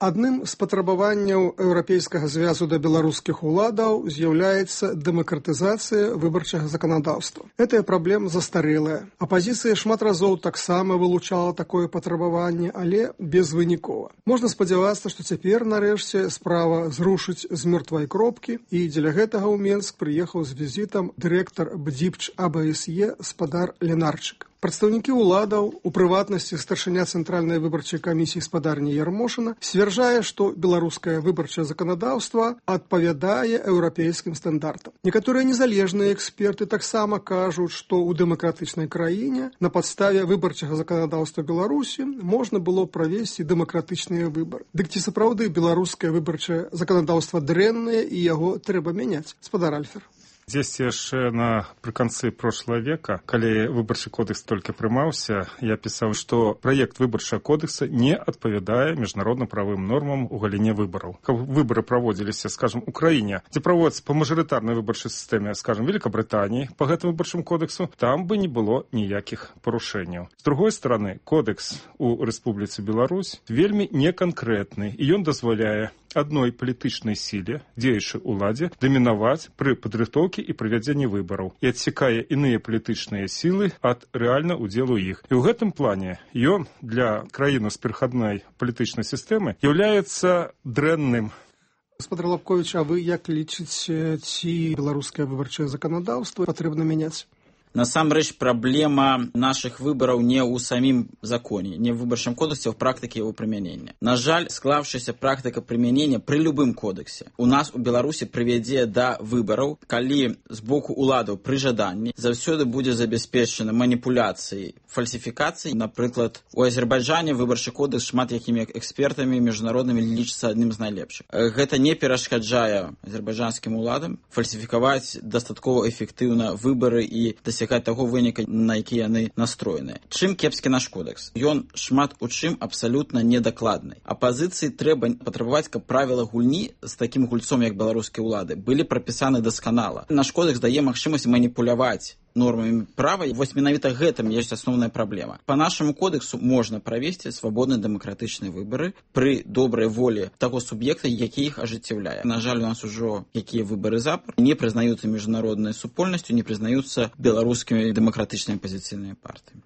Адным з патрабаванняў Еўрапейскага звязу да беларускіх уладаў з'яўляецца дэмакратызацыя выбарчага заканадаўства. Гэтая праблема застарэлая. Апазіцыя шмат разоў таксама вылучала такое патрабаванне, але безвынікова. Можна спадзявацца, што цяпер, нарэшце, справа зрушыць з мёртвай кропкі, і дзеля гэтага ў Менск прыехаў з візітам дырэктар БДІПЧ АБСЕ спадар Лінарчык. Прадстаўнікі ўладаў, у прыватнасці старшыня цэнтральнай выбарчай камісіі спадарні Ярмошына, сцвярджае, што беларускае выбарчае заканадаўства адпавядае еўрапейскім стандартам. Некаторыя незалежныя эксперты таксама кажуць, што ў дэмакратычнай краіне на падставе выбарчага заканадаўства Беларусі можна было правесці дэмакратычныя выбары. Дык ці сапраўды беларускае выбарчае заканадаўства дрэннае і яго трэба мяняць? Спадар Альфер. Здесь яшчэ напрыканцы прошлого века, калі выбарчы кодекс толькі прымаўся, я пісаў, што праект выбарчага кодекса не адпавядае міжнародным правым нормам у галіне выбараў. Каб выбары праводзіліся, скажем, у краіне, дзе праводзяцца па мажарытарнай выбарчай сістэме, скажем, Великабрытаніі па гэтым выбарчым кодексу, там бы не было ніякіх парушэнняў. З другой стороны, кодекс у Рэспубліцы Беларусь вельмі неканкрэтны, і ён дазваляе адной палітычнай сіле, дзеючай уладзе, дамінаваць пры падрыхтоўкі і правядзенні выбараў і адсекае іныя палітычныя сілы ад рэальна удзелу іх. І ў гэтым плане ён для краіны з перахадной палітычнай сістэмы з'яўляецца дрэнным. Гаспадар Лабковіч, а вы як лічыце, ці беларускае выбарчае заканадаўства патрэбна мяняць? Насамрэч, праблема наших выбораў не ў самім законе, не в выбарчым кодексе, а в практыке его прымянення. На жаль, склаўшаяся практыка прымянення пры любым кодексе у нас у Беларусі прывядзе да выбораў, калі з боку уладаў пры жаданні заўсёды будзе забяспечана маніпуляцыяй, фальсіфікацыяй. Напрыклад, у Азербайджане выбарчы кодекс шмат якімі экспертамі міжнароднымі лічыцца адным з найлепшых. Гэта не перашкаджае азербайджанскім уладам фальсіфікаваць дастаткова эфектыўна выбары і дасягаць таго выніка, на які яны настроеныя. Чым кепскі наш кодекс? Ён шмат у чым абсалютна недакладны. Апазіцыі трэба патрабаваць, каб правіла гульні з такім гульцом, як беларускія ўлады, былі прапісаны дасканала. Наш кодекс дае магчымасць маніпуляваць нормамі права, і вось менавіта гэтым ёсць асноўная праблема. Па нашаму кодексу можна правесці свабодныя дэмакратычныя выбары пры добрай волі таго суб'екта, які іх ажыццяўляе. На жаль, у нас ужо якія выбары запар не прызнаюцца міжнароднай супольнасцю, не прызнаюцца беларускімі дэмакратычнымі апазіцыйнымі партыямі.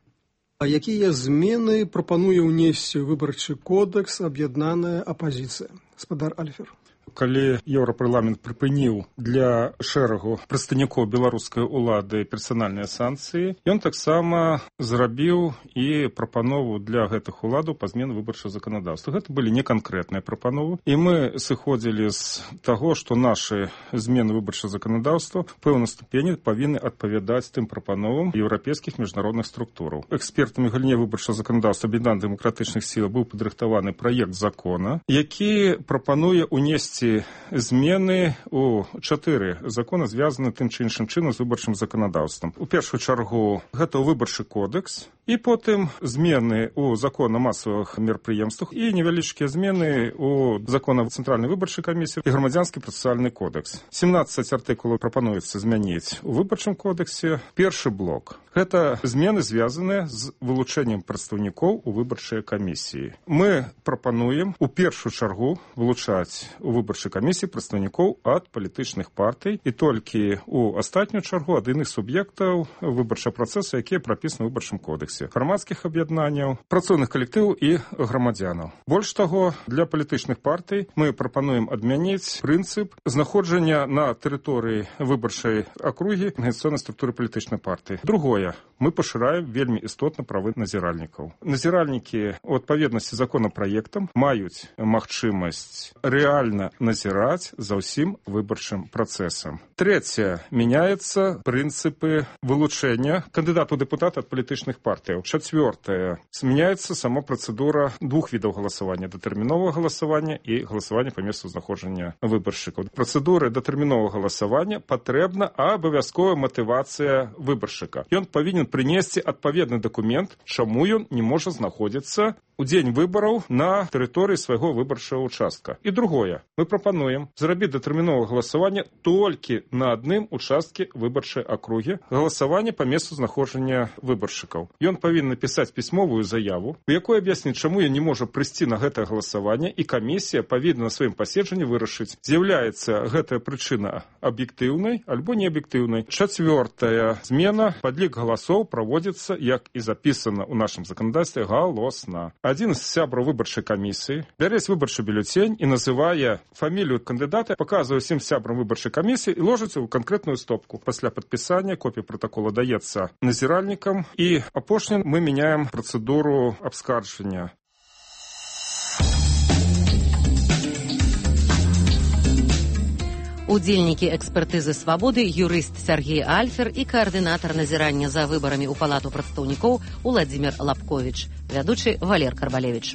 А якія змены прапануе ўнесці выбарчы кодекс аб'яднаная апазіцыя? Спадар Альфер. Калі Еўрапарламент прыпыніў для шэрагу прадстаўнікоў беларускай улады персанальныя санкцыі, ён таксама зрабіў і прапанову для гэтых уладаў па змене выбарчага заканадаўства. Гэта былі неканкрэтныя прапановы, і мы сыходзілі з таго, што нашы змены выбарчага заканадаўства ў пэўнай ступені павінны адпавядаць тым прапановам еўрапейскіх міжнародных структураў. Экспертамі галіне выбарчага заканадаўства аб'яднаных дэмакратычных сіл быў падрыхтаваны праект закона, які прапануе ўнесці змены у 4 законы, звязаны тым ці іншым чынам з выбарчым заканадаўствам. У першую чаргу гэта выбарчы кодекс, і потым змены у закон о масавых мерапрыемствах і невялічкія змены у закон о цэнтральнай выбарчай камісіі і грамадзянскі працэсуальны кодекс. 17 артыкулаў прапануецца змяніць у выбарчым кодексе. Першы блок – гэта змены, звязаныя з вылучэннем прадстаўнікоў у выбарчай камісіі. Мы прапануем у першую чаргу вылучаць у выбарчай камісіі прадстаўнікоў ад палітычных партый і толькі у астатнюю чаргу ад іных суб'ектаў выбарчага працэсу, якія прапісаны ў выбарчым кодексе. Грамадскіх аб'яднанняў, працоўных калектываў і грамадзянаў. Больш таго, для палітычных партый мы прапануем адмяніць прынцып знаходжання на тэрыторыі выбарчай акругі арганізацыйнай структуры палітычнай партыі. Другое, мы пашыраем вельмі істотна правы назіральнікаў. Назіральнікі у адпаведнасці з законапраектам маюць магчымасць рэальна назіраць за ўсім выбарчым працэсам. Трэцяе, мяняецца прынцыпы вылучэння кандыдатаў у дэпутаты ад палітычных партый. Чацвёртае, змяняецца сама працэдура двух відаў галасавання: датэрміновага галасавання і галасавання па месцу знаходжання выбаршчыкаў. Працэдуры датэрміновага галасавання патрэбна абавязковая матывацыя выбаршчыка. Ён павінен прынесці адпаведны дакумент, чаму ён не можа знаходзіцца у дзень выбараў на тэрыторыі свайго выбарчага участка. І другое, мы прапануем зрабіць датэрміновае галасаванне толькі на адным участке выбарчай акругі, галасаванне па месцу знаходжання выбаршчыкаў. Ён павінен напісаць пісьмовую заяву, у якой аб'ясніць, чаму ён не можа прыйсці на гэтае галасаванне, і камісія павінна на сваім паседжанні вырашыць, з'яўляецца гэтая прычына аб'ектыўнай альбо неаб'ектыўнай. Чацвёртая змена, падлік галасоў праводзіцца, як і запісана ў нашым заканадаўстве, галосна. адзін з сябраў выбарчай камісіі бярэць выбарчы бюлетень і называе фамілію кандыдата, паказвае ўсім сябрам выбарчай камісіі і ложыцца ў канкрэтную стопку. Пасля падпісання копія пратакола даецца назіральнікам, і апошнім мы мяняем працэдуру абскарджання. Удзельнікі экспертызы «Свабоды» юрыст Сергей Альфер і каардынатар назірання за выбарамі ў палату прадстаўнікоў Уладзімір Лапковіч, вядучы Валер Карбалевіч.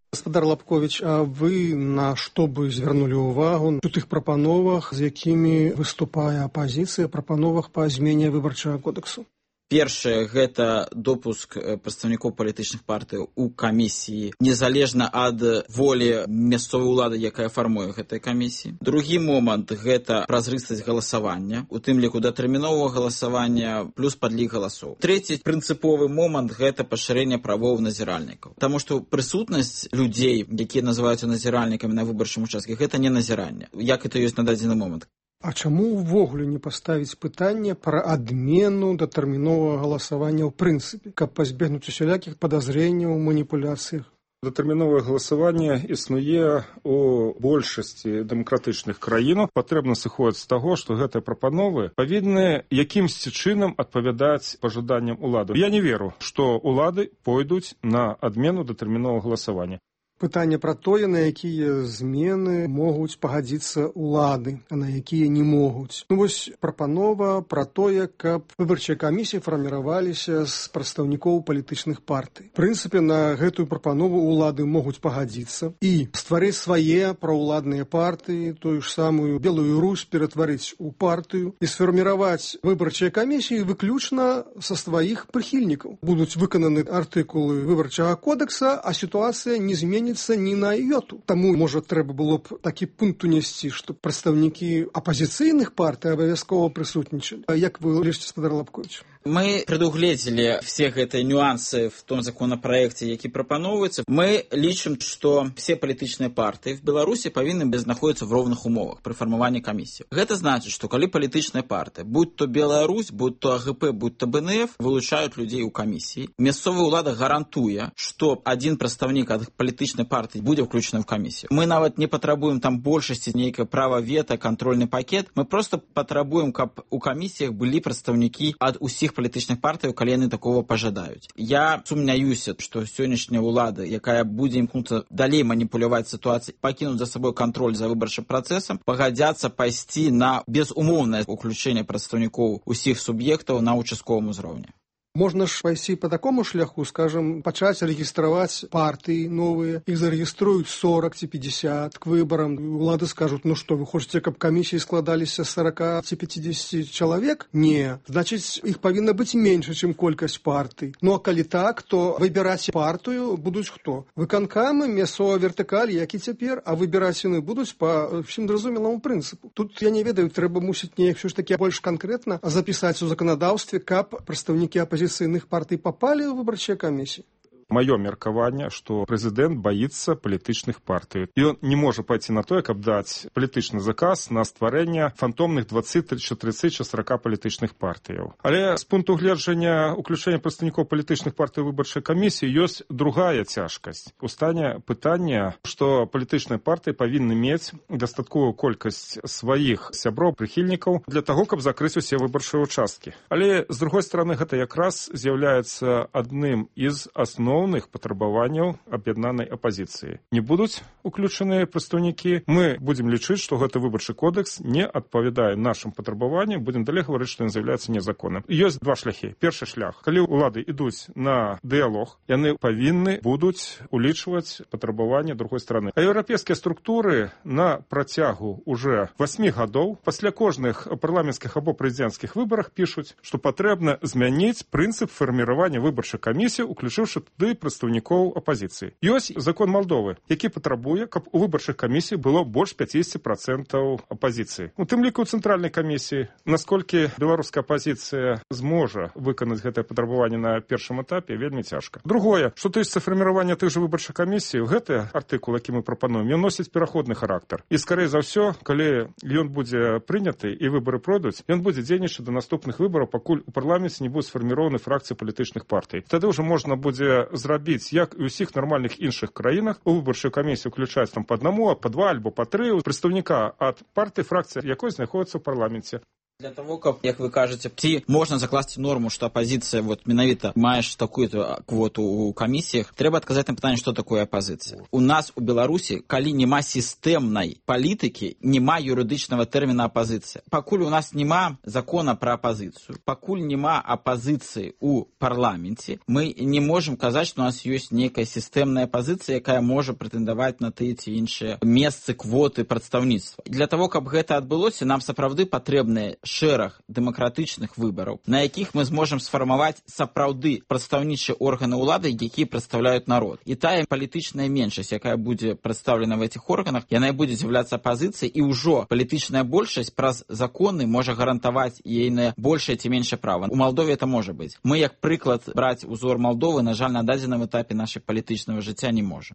Гаспадар Лапковіч, а вы на што бы звярнулі ўвагу у тых прапановах, з якімі выступае апазіцыя, прапановах па змене выбарчага кодексу? Першае, гэта допуск прадстаўнікоў палітычных партый у камісіі, незалежна ад волі мясцовай улады, якая фармуе гэтай камісіі. Другі момант, гэта празрыстасць галасавання, у тым ліку датэрміновага галасавання плюс падлік галасоў. Трэці прынцыповы момант, гэта пашырэнне правоў назіральнікаў. Таму што прысутнасць людзей, якія называюцца назіральнікамі на выбарчым участке, гэта не назіранне, як это ёсць на дадзены момант. А чаму ўвогуле не паставіць пытанне пра адмену датэрміновага галасавання ў прынцыпе, каб пазбегнуць усялякіх падазрэнняў у маніпуляцыях? Датэрміновае галасаванне існуе ў большасці дэмакратычных краін. Патрэбна сыходзіць з таго, што гэтыя прапановы павінны якімсьці чынам адпавядаць пажаданням улады. Я не веру, што улады пойдуць на адмену датэрміновага галасавання. Пытанне пра тое, на якія змены могуць пагадзіцца ўлады, а на якія не могуць. Вось прапанова пра тое, каб выбарчыя камісіі фарміраваліся з прадстаўнікоў палітычных партый. В прынцыпе, на гэтую прапанову ўлады могуць пагадзіцца і стварыць свае праўладныя партыі, тую ж самую Белую Русь ператварыць у партыю і сфарміраваць выбарчыя камісіі выключна са сваіх прыхільнікаў. Будуць выкананы артыкулы выбарчага кодекса, а сітуацыя не зменіцца ні на йоту. Таму, можа, трэба было б такі пункт унесці, што прадстаўнікі апазіцыйных партый абавязкова прысутнічалі. А як вы лічыце, гаспадар Лапковіч? Мы предугледзелі все гэтыя нюансы в том законопроекте, які прапановваецца. Мы лічым, што все палітычныя партыі в Беларусі павінны знаходзіцца в роўных умовах пры фармаванні камісіі. Гэта значыць, што калі палітычныя партыі, будь то Беларусь, будь то АГП, будь то БНФ, вылучаюць людзей у камісіі, мясцовая ўлада гарантуе, што адзін прадстаўнік ад палітычнай партыі будзе ўключаны в камісію. Мы нават не патрабуем там большасці нейкае права вета, кантрольны пакет. Мы просто патрабуем, каб у камісіях былі прадстаўнікі ад усіх палітычных партый, калі яны такого пажадаюць. Я сумняюся, што сённяшняя ўлада, якая будзе імкнуцца далей маніпуляваць сітуацыяй, пакінуць за сабой кантроль за выбарчым працэсам, пагадзяцца пайсці на безумоўнае ўключэнне прадстаўнікоў усіх суб'ектаў на участковым узроўні. Можна ж пайсці по такому шляху, скажем, пачаць рэгістраваць партыі новыя, іх зарэгіструюць 40 ці 50 к выбарам. Улады скажуць, ну што, вы хочаце, каб камісіі складаліся 40 ці 50 чалавек? Не. Значыць, іх павінна быць менш, чым колькасць партый. Ну а калі так, то выбіраць партыю будуць хто? Выканкамы, мясцовая вертыкаль, як і цяпер, а выбіраць яны будуць па всім зразумелому прынцыпу. Тут, я не ведаю, трэба мусіць неяк ўсё ж такі больш канкрэтна запісаць у заканадаўстве, каб прадстаўнікі апозіцыйных партый попали в выбарчыя камісіі. Маё меркаванне, што прэзідэнт баіцца палітычных партый. І ён не можа пайти на тое, каб даць палітычны заказ на стварэнне фантомных 20, 30 чи 40 палітычных партыяў. Але з пункту гледжання уключэння прадстаўнікоў палітычных партый выбарчай камісіі ёсць другая цяжкасць. Устане пытання, што палітычныя партыі павінны мець дастатковую колькасць сваіх сяброў, прыхільнікаў для таго, каб закрыць усе выбарчыя участкі. Але, з другой стороны, гэта якраз з'яўляецца адным з асноў патрабаванняў аб'яднанай апазіцыі. Не будуць уключаныя прадстаўнікі. Мы будзем лічыць, што гэты выбарчы кодекс не адпавядае нашым патрабаванням, будзем далей гаварыць, што ён з'яўляецца незаконным. Ёсць два шляхі. Першы шлях. Калі ўлады ідуць на дыялог, яны павінны будуць улічваць патрабаванні другой стороны. А еўрапейскія структуры на працягу уже 8 гадоў пасля кожных парламенцкіх або прэзідэнцкіх выбарах пішуць, што патрэбна змяніць прынцып фарміравання выбарчай камісіі, уключыўшы туды сапраўды прадстаўнікоў апазіцыі. Ёсць закон Малдовы, які патрабуе, каб у выбарчых камісій было больш 50% апазіцыі. У тым ліку ў цэнтральнай камісіі. Наколькі беларуская апазіцыя зможа выканаць гэтае патрабаванне на першым этапе, вельмі цяжка. Другое, што тычыцца фарміравання тых жа выбарчых камісій, гэты артыкул, які мы прапануем, ён носіць пераходны характар. І, скорей за ўсё, калі ён будзе прыняты і выбары пройдуць, ён будзе дзейнічаць до наступных выбараў, пакуль у парламенце не будуць сфарміраваны фракцыі палітычных партый. Тады ўжо можна будзе зрабіць, як і ў усіх нармальных іншых краінах, у выбарчую камісію ўключаць там па аднаму, па два альбо па тры прадстаўніка ад партыі, фракцыі, якой знаходзіцца ў парламенце. Для того, как, як вы кажете, ці можна закласці норму, што апозіцыя менавіта маеш такую-то квоту ў камісіях, трэба адказаць на пытанне, што такое апозіцыя. У нас у Беларусі, калі няма сістэмнай палітыкі, няма юрыдычнага тэрміна апозіцыя. Пакуль у нас няма закона пра апозіцыю, пакуль няма апозіцыі ў парламенце, мы не можам казаць, што у нас ёсць нейкая сістэмная апозіцыя, якая можа прэтэндаваць на тыя ці іншыя месцы, квоты прадстаўніцтва. Для того, каб гэта адбылося, нам сапраўды патрэбныя шэраг дэмакратычных выбараў, на якіх мы зможам сфармаваць сапраўды прадстаўнічыя органы ўлады, якія прадстаўляюць народ. І тая палітычная меншасць, якая будзе прадстаўлена в этих органах, яна і будзе з'яўляцца апозіцыяй, і ўжо палітычная большасць праз законы можа гарантаваць ейнае большае ці меншае права. У Малдове это можа быць. Мы, як прыклад, браць узор Малдовы, на жаль, на дадзеным этапе нашай палітычнага жыцця не можа.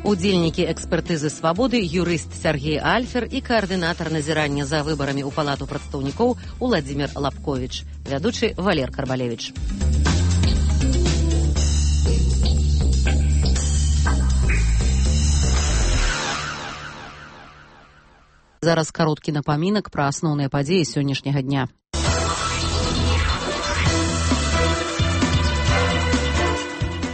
Удзельнікі экспертызы «Свабоды» юрыст Сергей Альфер і каардынатар назірання за выбарамі ў Палату прадстаўнікоў Уладзімір Лапковіч, вядучы Валер Карбалевіч. Зараз кароткі напамінак пра асноўныя падзеі сённяшняга дня.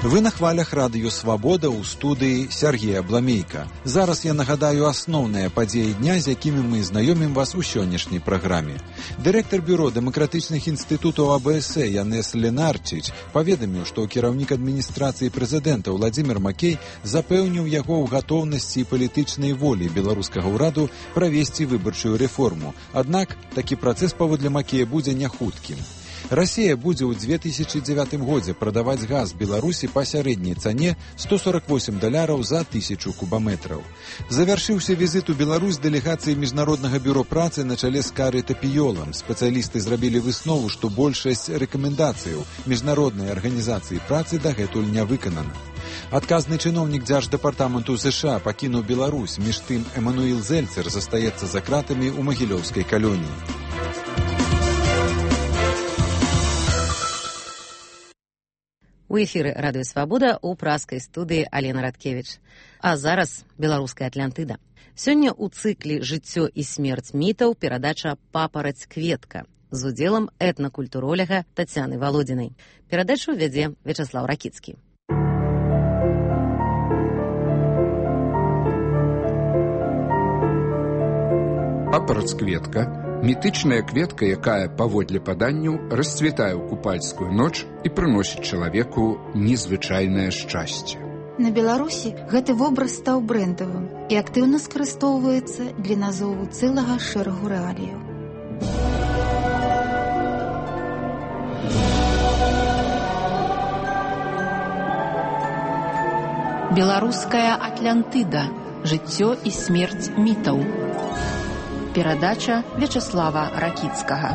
Вы на хвалях радыё «Свабода» ў студыі Сергея Бламейка. Зараз я нагадаю асноўныя падзеі дня, з якімі мы знаёмім вас у сённяшняй праграме. Дырэктар бюро дэмакратычных інстытутаў АБС Янес Ленарчич паведаміў, што кіраўнік адміністрацыі прэзідэнта Уладзімір Макей запэўніў яго ў гатоўнасці і палітычнай волі беларускага ўраду правесці выбарчую рэформу. Аднак такі працэс паводле Макея будзе няхуткім. Расія будзе ў 2009 годзе прадаваць газ Беларусі па сярэдняй цане $148 за 1000 кубаметраў. Завяршыўся візіт у Беларусь дэлегацыі Міжнароднага бюро працы на чале з Карай Тапіёлам. Спецыялісты зрабілі выснову, што большасць рэкамендацыяў Міжнароднай арганізацыі працы дагэтуль не выканана. Адказны чыноўнік Дзярждэпартаменту США пакінуў Беларусь, між тым Эмануіл Зельцер застаецца за кратамі ў магілёўскай калоніі. У эфіры радыё «Свабода» у праскай студыі Алена Радкевіч. А зараз беларуская Атлантыда. Сёння ў цыкле «Жыццё і смерць мітаў» перадача «Папараць-кветка» з удзелам этнакультуроляга Тацяны Валодзінай. Перадачу вядзе Вячаслаў Ракіцкі. Папараць-кветка – мітычная кветка, якая, паводле паданняў, расцвітае ў купальскую ноч і прыносіць чалавеку незвычайнае шчасце. На Беларусі гэты вобраз стаў брэндавым і актыўна скарыстоўваецца для назову цэлага шэрагу рэаліяў. Беларуская Атлантыда. Жыццё і смерць мітаў. Перадача Вячаслава Ракіцкага.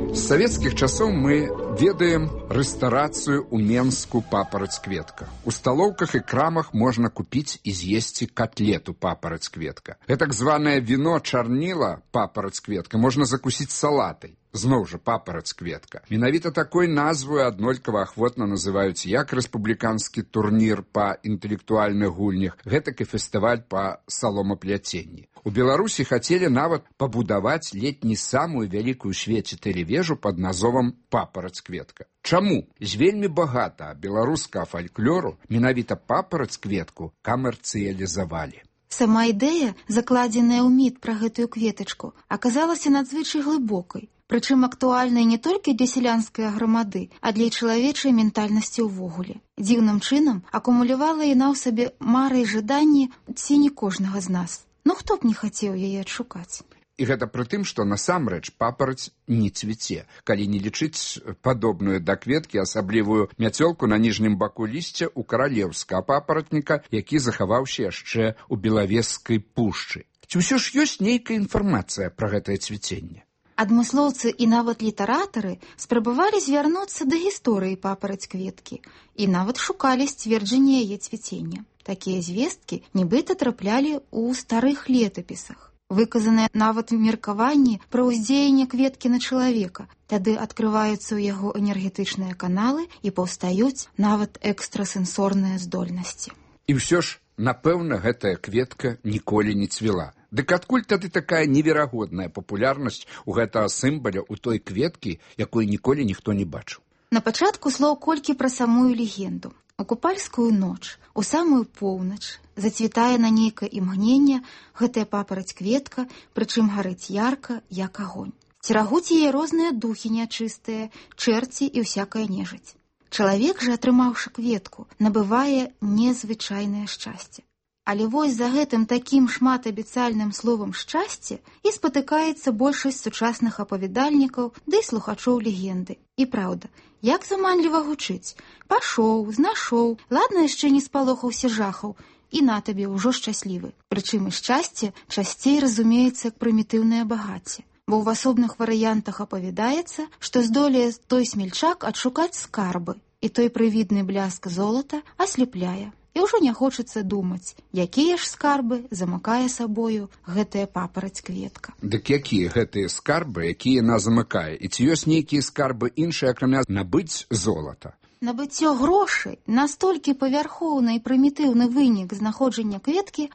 З савецкіх часоў мы ведаем рэстарацыю ў Менску «Папараць-кветка». У сталоўках і крамах можна купіць і з'есці котлету «Папараць-кветка». Гэтак званае віно чарніла «Папараць-кветка» можна закусіць салатай. Зноў жа «Папараць-кветка». Менавіта такой назваю аднолькава ахвотна называюць як рэспубліканскі турнір па інтэлектуальных гульнях, гэтак і фестываль па саломапляценні. У Беларусі хацелі нават пабудаваць летні самую вялікую ў свеце тэлевежу пад назовам «Папараць-кветка». Чаму? З вельмі багата беларускага фальклору менавіта «Папараць-кветку» камерцыялізавалі. Сама ідэя, закладзеная ў міт пра гэтую кветачку, аказалася надзвычай глыбокай. Прычым актуальнай не толькі для сялянскай грамады, а для чалавечай ментальнасці ўвогуле. Дзіўным чынам акумулявала яна ў сабе мары і жаданні ці не кожнага з нас. Ну хто б не хацеў яе адшукаць? І гэта пры тым, што насамрэч папараць не цвіце, калі не лічыць падобную да кветкі асаблівую мяцёлку на ніжнім баку лісця ў каралеўскага папаратніка, які захаваўся яшчэ ў Белавежскай пушчы. Ці ўсё ж ёсць нейкая інфармацыя пра гэтае цвіценне? Адмыслоўцы і нават літаратары спрабавалі звярнуцца да гісторыі папараць кветкі і нават шукалі сцверджанне яе цвіцення. Такія звесткі нібыта траплялі ў старых летапісах. Выказаныя нават меркаванні пра ўздзеянне кветкі на чалавека. Тады адкрываюцца ў яго энергетычныя каналы і паўстаюць нават экстрасэнсорныя здольнасці. І ўсё ж, напэўна, гэтая кветка ніколі не цвіла. Дык адкуль тады такая неверагодная папулярнасць у гэтага сімваля ў той кветкі, якую ніколі ніхто не бачыў? На пачатку слоў колькі пра самую легенду. У купальскую ноч, у самую поўнач, зацвітае на нейкае імгненне гэтая папараць кветка, прычым гарыць ярка, як агонь. Церагуць яе розныя духі нячыстыя, чэрці і ўсякая нежыць. Чалавек жа, атрымаўшы кветку, набывае незвычайнае шчасце. Але вось за гэтым такім шматабяцальным словам шчасце і спатыкаецца большасць сучасных апавядальнікаў ды слухачоў легенды. І праўда, як заманліва гучыць. Пашоў, знашоў, ладна яшчэ не спалохаўся жахаў, і на табе ўжо шчаслівы. Прычым і шчасце часцей разумеецца як прымітыўнае багацце. Бо ў асобных варыянтах апавядаецца, што здолее той смельчак адшукаць скарбы, і той прывідны бляск золата аслепляе. І ўжо не хочацца думаць, якія ж скарбы замыкае сабою гэтая папараць кветка. Дык якія гэтыя скарбы, якія яна замыкае? І ці ёсць нейкія скарбы іншыя, акрамя набыць золата? Набыццё грошай настолькі павярхоўны і прымітыўны вынік знаходжання кветкі,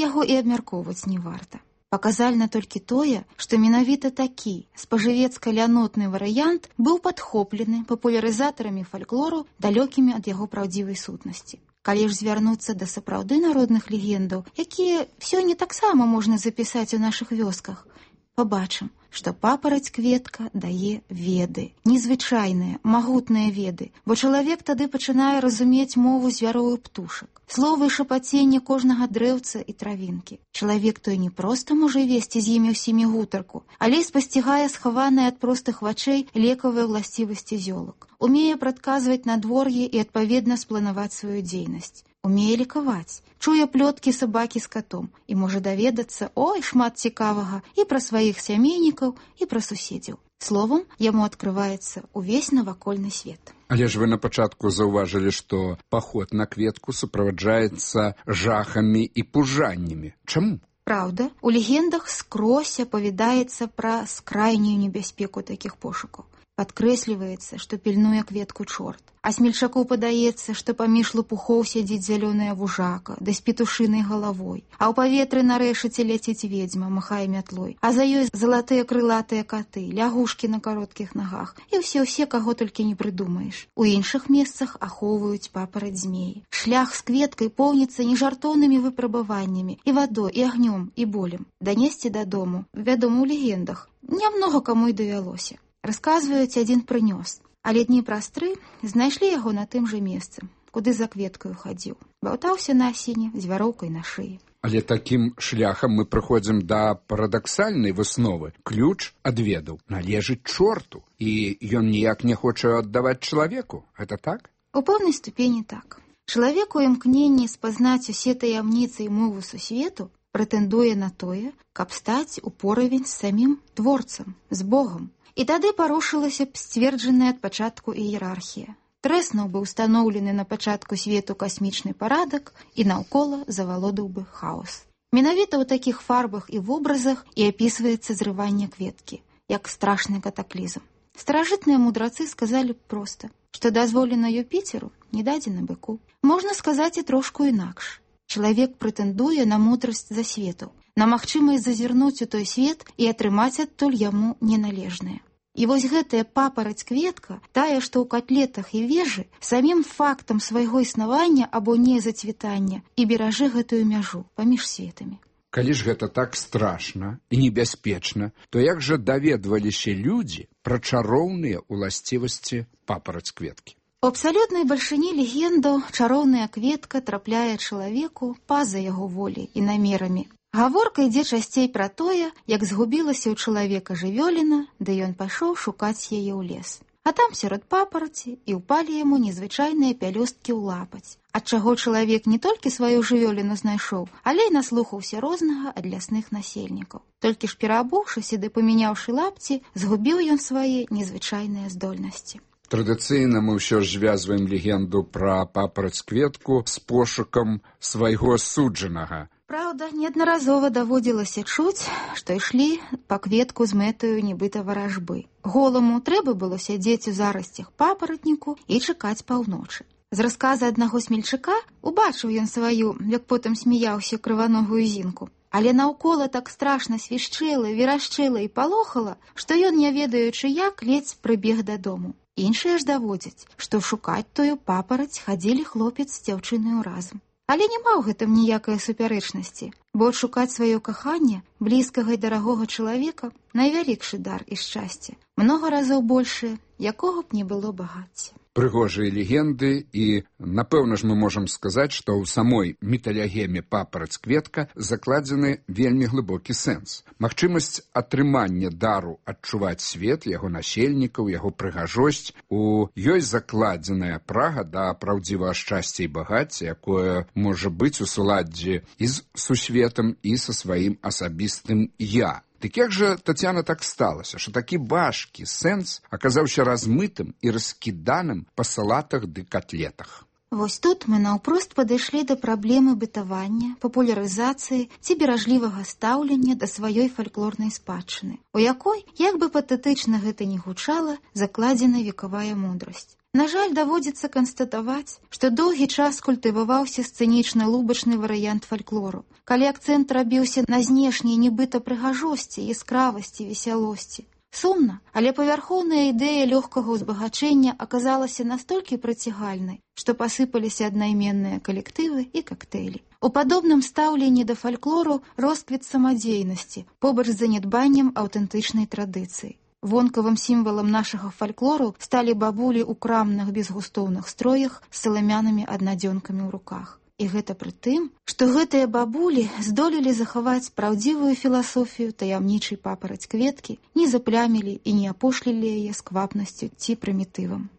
яго і абмяркоўваць не варта. Паказальна толькі тое, што менавіта такі спажывецка-лянотны варыянт быў падхоплены папулярызатарамі фальклору, далёкімі ад яго праўдзівай сутнасці. Калі ж звярнуцца да сапраўды народных легендаў, якія сёння таксама можна запісаць у нашых вёсках, пабачым, што папараць кветка дае веды, незвычайныя, магутныя веды, бо чалавек тады пачынае разумець мову звяроў і птушак, словы і шапаценне кожнага дрэўца і травінкі. Чалавек той не проста можа весці з імі ўсімі гутарку, але і спасцігае схаваныя ад простых вачэй лекавыя ўласцівасці зёлак. Умее прадказваць надвор'е і адпаведна спланаваць сваю дзейнасць. Умее лікаваць, чуе плёткі сабакі з катом і можа даведацца, ой, шмат цікавага і пра сваіх сямейнікаў, і пра суседзяў. Словам, яму адкрываецца ўвесь навакольны свет. Але ж вы на пачатку заўважылі, што паход на кветку суправаджаецца жахамі і пужаннямі. Чаму? Праўда, у легендах скрозь апавядаецца пра скрайнюю небяспеку такіх пошукаў. Падкрэсліваецца, што пільнуе кветку чорт. А смельчаку падаецца, што паміж лопухоў сядзіць зялёная вужака, да з петушынай галавой. А ў паветры на рэшаце ляціць ведзьма, махае мятлой. А за ёй залатыя крылатыя каты, лягушкі на кароткіх нагах. І ўсе, каго толькі не прыдумаеш. У іншых месцах ахоўваюць папараць змеі. Шлях з кветкай поўніцца нежартоўнымі выпрабаваннямі, і вадой, і агнём, і болем. Данесці дадому, вядома, у легендах, нямнога каму й давялося. Расказваюць, адзін прынёс, але дні праз 3 знайшлі яго на тым жа месцы, куды за кветкаю хадзіў. Баўтаўся на асіне з вяроўкай на шыі. Але такім шляхам мы прыходзім да парадаксальнай высновы. Ключ ад ведаў належыць чорту, і ён ніяк не хоча аддаваць чалавеку. Гэта так? У пэўнай ступені так. Чалавек у імкненні спазнаць усе таямніцы і мову сусвету прэтэндуе на тое, каб стаць у поравень з самім творцам, з Богам. І тады парушылася б сцверджаная ад пачатку іерархія. Трэснуў бы ўстаноўлены на пачатку свету касмічны парадак і наўкола завалодаў бы хаос. Менавіта ў такіх фарбах і вобразах і апісваецца зрыванне кветкі, як страшны катаклізм. Старажытныя мудрацы сказалі б проста, што дазволена Юпіцеру, не дадзена быку. Можна сказаць і трошку інакш. Чалавек прэтэндуе на мудрасць засвету, на магчымасць зазірнуць у той свет і атрымаць адтуль яму неналежнае. І вось гэтая папараць кветка, тая, што ў катлетах і вежы, самім фактам свайго існавання або незацвітання і беражы гэтую мяжу паміж светамі. Калі ж гэта так страшна і небяспечна, то як жа даведваліся людзі пра чароўныя ўласцівасці папараць кветкі? У абсалютнай бальшыні легендаў чароўная кветка трапляе чалавеку па-за яго воляй і намерамі. Гаворка ідзе часцей пра тое, як згубілася ў чалавека жывёліна, ды ён пайшоў шукаць яе ў лес. А там сярод папараці і ўпалі яму незвычайныя пялёсткі ў лапаць, ад чаго чалавек не толькі сваю жывёліну знайшоў, але і наслухаўся рознага ад лясных насельнікаў. Толькі ж пераабуўшыся ды памяняўшы лапці, згубіў ён свае незвычайныя здольнасці. Традыцыйна мы ўсё ж звязваем легенду пра папараць-кветку з пошукам свайго суджанага. Праўда, неаднаразова даводзілася чуць, што ішлі па кветку з мэтаю нібыта варажбы. Голаму трэба было сядзець у зарасцях папаратніку і чакаць паўночы. З расказа аднаго смельчака убачыў ён сваю, як потым смяяўся, крываногую зінку. Але наўкола так страшна свішчэла, верашчэла і палохала, што ён, не ведаючы як, ледзь прыбег дадому. Іншыя ж даводзяць, што шукаць тую папараць хадзілі хлопец з дзяўчынаю разам. Але няма ў гэтым ніякай супярэчнасці, бо адшукаць сваё каханне, блізкага і дарагога чалавека, найвялікшы дар і шчасце, многа разоў большае, якога б не было багацця. Прыгожыя легенды, і, напэўна ж, мы можам сказаць, што ў самой міталегеме папараць-кветка закладзены вельмі глыбокі сэнс. Магчымасць атрымання дару адчуваць свет, яго насельнікаў, яго прыгажосць, у ёй закладзеная прага да праўдзівага шчасця і багацця, якое можа быць у суладдзі і з сусветам, і са сваім асабістым «я». Дык як жа, Тацяна, так сталася, што такі важкі сэнс аказаўся размытым і раскіданым па салатах ды котлетах? Вось тут мы наўпрост падышлі да праблемы бытавання, папулярызацыі ці беражлівага стаўлення да сваёй фальклорнай спадчыны, у якой, як бы патэтычна гэта не гучала, закладзена векавая мудрасць. На жаль, даводзіцца канстатаваць, што доўгі час культываваўся сцэнічна-лубачны варыянт фальклору, калі акцэнт рабіўся на знешняй нібыта прыгажосці, яскравасці, весялосці. Сумна, але павярхоўная ідэя лёгкага ўзбагачэння аказалася настолькі прыцягальнай, што пасыпаліся аднайменныя калектывы і кактэйлі. У падобным стаўленні да фальклору росквіт самадзейнасці, побач з занядбаннем аўтэнтычнай традыцыі. Вонкавым сімвалам нашага фальклору сталі бабулі ў крамных безгустоўных строях з саламянымі аднадзёнкамі ў руках. І гэта пры тым, што гэтыя бабулі здолелі захаваць праўдзівую філасофію таямнічай папараць-кветкі, не заплямілі і не апошлілі яе сквапнасцю ці прымітывам.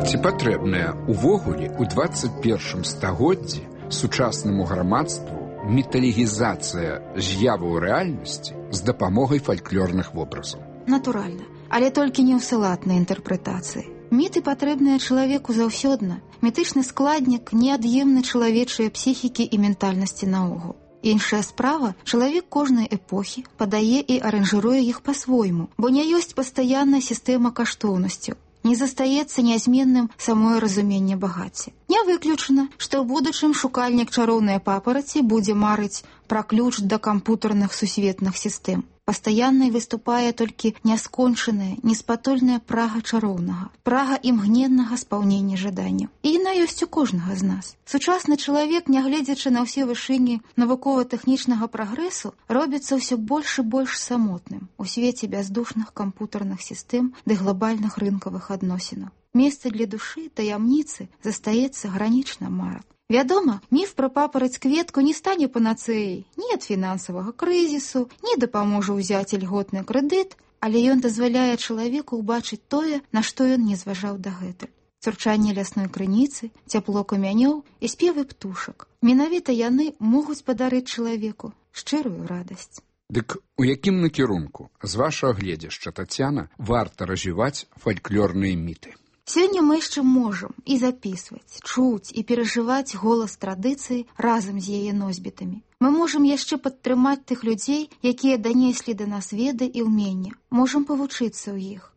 Ці патрэбная увогуле ў 21 стагоддзі сучаснаму грамадству міталегізацыя з'яваў рэальнасці з дапамогай фальклорных вобразаў? Натуральна, але толькі не ў салатнай інтэрпрэтацыі. Міты патрэбныя чалавеку заўсёдна. Мітычны складнік неад'емны чалавечыя псіхікі і ментальнасці наогул. Іншая справа, чалавек кожнай эпохі падае і аранжыруе іх па-свойму, бо не ёсць пастаянная сістэма каштоўнасцяў. Не застаецца нязменным самое разуменне багацця. Не выключана, што ў будучым шукальнік чароўнай папараці будзе марыць пра ключ да кампутарных сусветных сістэм. Пастаяннай выступае толькі няскончаная, неспатольная прага чароўнага, прага імгненнага спаўнення жаданняў. І яна ёсць у кожнага з нас. Сучасны чалавек, нягледзячы на ўсе вышыні навукова-тэхнічнага прагрэсу, робіцца ўсё больш і больш самотным у свеце бяздушных кампутарных сістэм ды глобальных рынкавых адносінаў. Месца для душы, таямніцы застаецца гранічна марак. Вядома, міф пра папараць-кветку не стане панацэяй ні ад фінансавага крызісу, ні дапаможа ўзяць ільготны крэдыт, але ён дазваляе чалавеку ўбачыць тое, на што ён не зважаў дагэтуль. Цурчанне лясной крыніцы, цяпло камянёў і спевы птушак. Менавіта яны могуць падарыць чалавеку шчырую радасць. Дык у якім накірунку, з вашага гледзяшча, Тацяна, варта развіваць фальклорныя міты? Сёння мы яшчэ можам і запісваць, чуць і перажываць голас традыцыі разам з яе носьбітамі. Мы можам яшчэ падтрымаць тых людзей, якія данеслі да нас веды і ўмення. Можам павучыцца ў іх.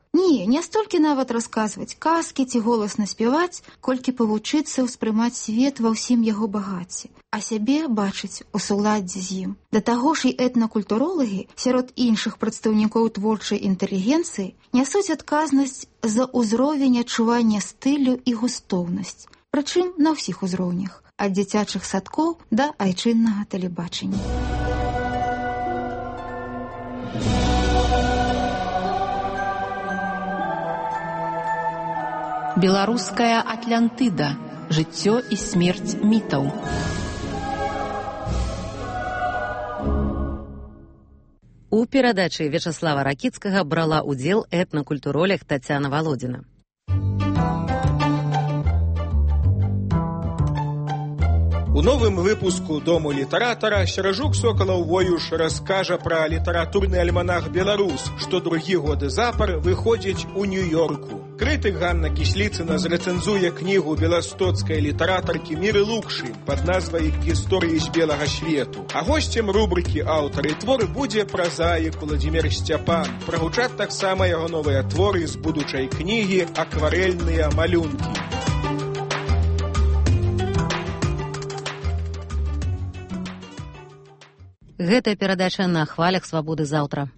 Не столькі нават расказваць казкі ці голасна спяваць, колькі павучыцца ўспрымаць свет ва ўсім яго багацці, а сябе бачыць у суладдзі з ім. Да таго ж і этнакультуролагі сярод іншых прадстаўнікоў творчай інтэлігенцыі нясуць адказнасць за ўзровень адчування стылю і густоўнасць, прычым на ўсіх узроўнях, ад дзіцячых садкоў да айчыннага тэлебачання. Беларуская Атлантыда. Жыццё і смерць мітаў. У перадачы Вячаслава Ракіцкага брала ўдзел этнакультуролог Тацяна Валодзіна. У новым выпуску «Дому літаратара» Серажук Сокалаў-Воюш раскажа пра літаратурны альманах «Беларус», што другі год запар выходзіць у Нью-Йорку. Крытык Ганна Кісліцына зрэцэнзуе кнігу беластоцкай літаратаркі Міры Лукшы пад назвай «Гісторыі з белага свету». А госцем рубрыкі «Аўтары творы» будзе празаік Уладзімір Сцяпан. Прагучаць таксама яго новыя творы з будучай кнігі «Акварэльныя малюнкі». Гэтая перадача на хвалях свабоды заўтра.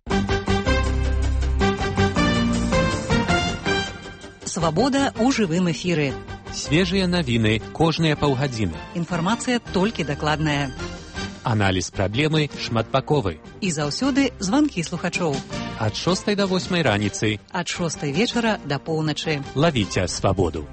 Свабода ў жывым эфіры. Свежыя навіны кожныя паўгадзіны. Інфармацыя толькі дакладная. Аналіз праблемы шматбаковы. І заўсёды званкі слухачоў. Ад 6 до 8 раніцы. Ад 6 вечара да поўначы. Лавіце свабоду.